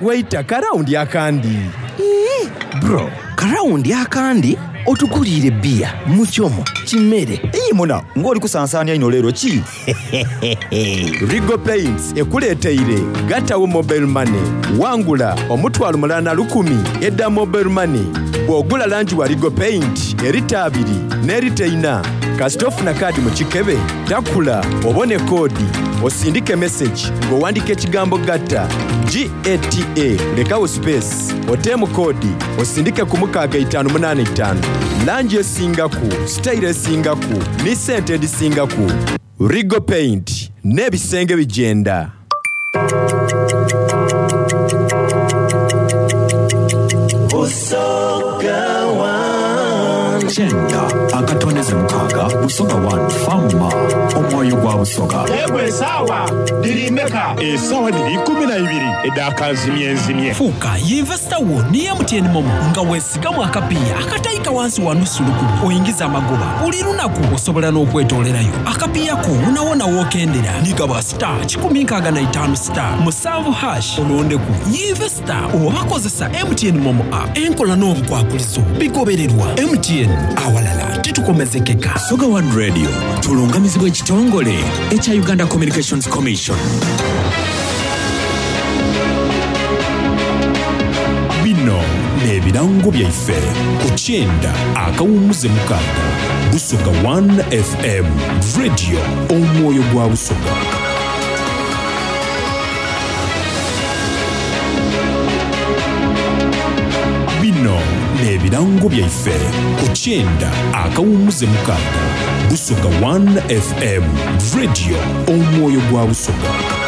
Waita karawundi akandi. Ii, bro, karawundi akandi otuguliire bbiya mukyomo kimere. Iyi muna ng'oli kusansaanya ino leero ki? Rigo Paints ekuleeteire gattawo mobile money wangula omutwalo mulala na lukumi edda mobile money bw'ogula langi wa Rigo Paint erita abiri n'erita ina kasita ofuna kaadi mu kikebe takula obone koodi osindike message ng'owandika ekigambo gatta G A T A lekawo space oteemu koodi osindike ku mukaaga itaano munaana itaano Langi esingaku, sitayiro esingaku, ni sente edisingaku. Rigo Paint n'ebisenge bijenda. Busoga One. Kyenda akatondeze mukaaga Busoga One Fama omwoyo gwa Busoga. Yegwe esaawa diri meka? Esaawa diri ikumi na ibiri edakazimyenzimye. Fuuka yinvesita wo ni M T N MoMo nga weesigamu akapiiya akatayika wansi wa nusu lukumi oyingiza amagoba buli lunaku osobola n'okwetoolerayo akapiiya ko wonawona wookendera nigaba star kikumi nkaaga na itaano star musanvu hash olondeku yinvesita oba kozesa M T N MoMo app enkola n'obukwakulizo bigobererwa M T N awalala titukomezekeka. Busoga One Radio tulungamizibwa ekitongole ekya Uganda Communications Commission. Bino n'ebirango byaife ku kyenda akawummuze mukaaga Busoga One F M Radio omwoyo gwa Busoga. Bino n'ebirango byaife ku kyenda akawummuze mukaaga Busoga One F M Radio omwoyo gwa Busoga.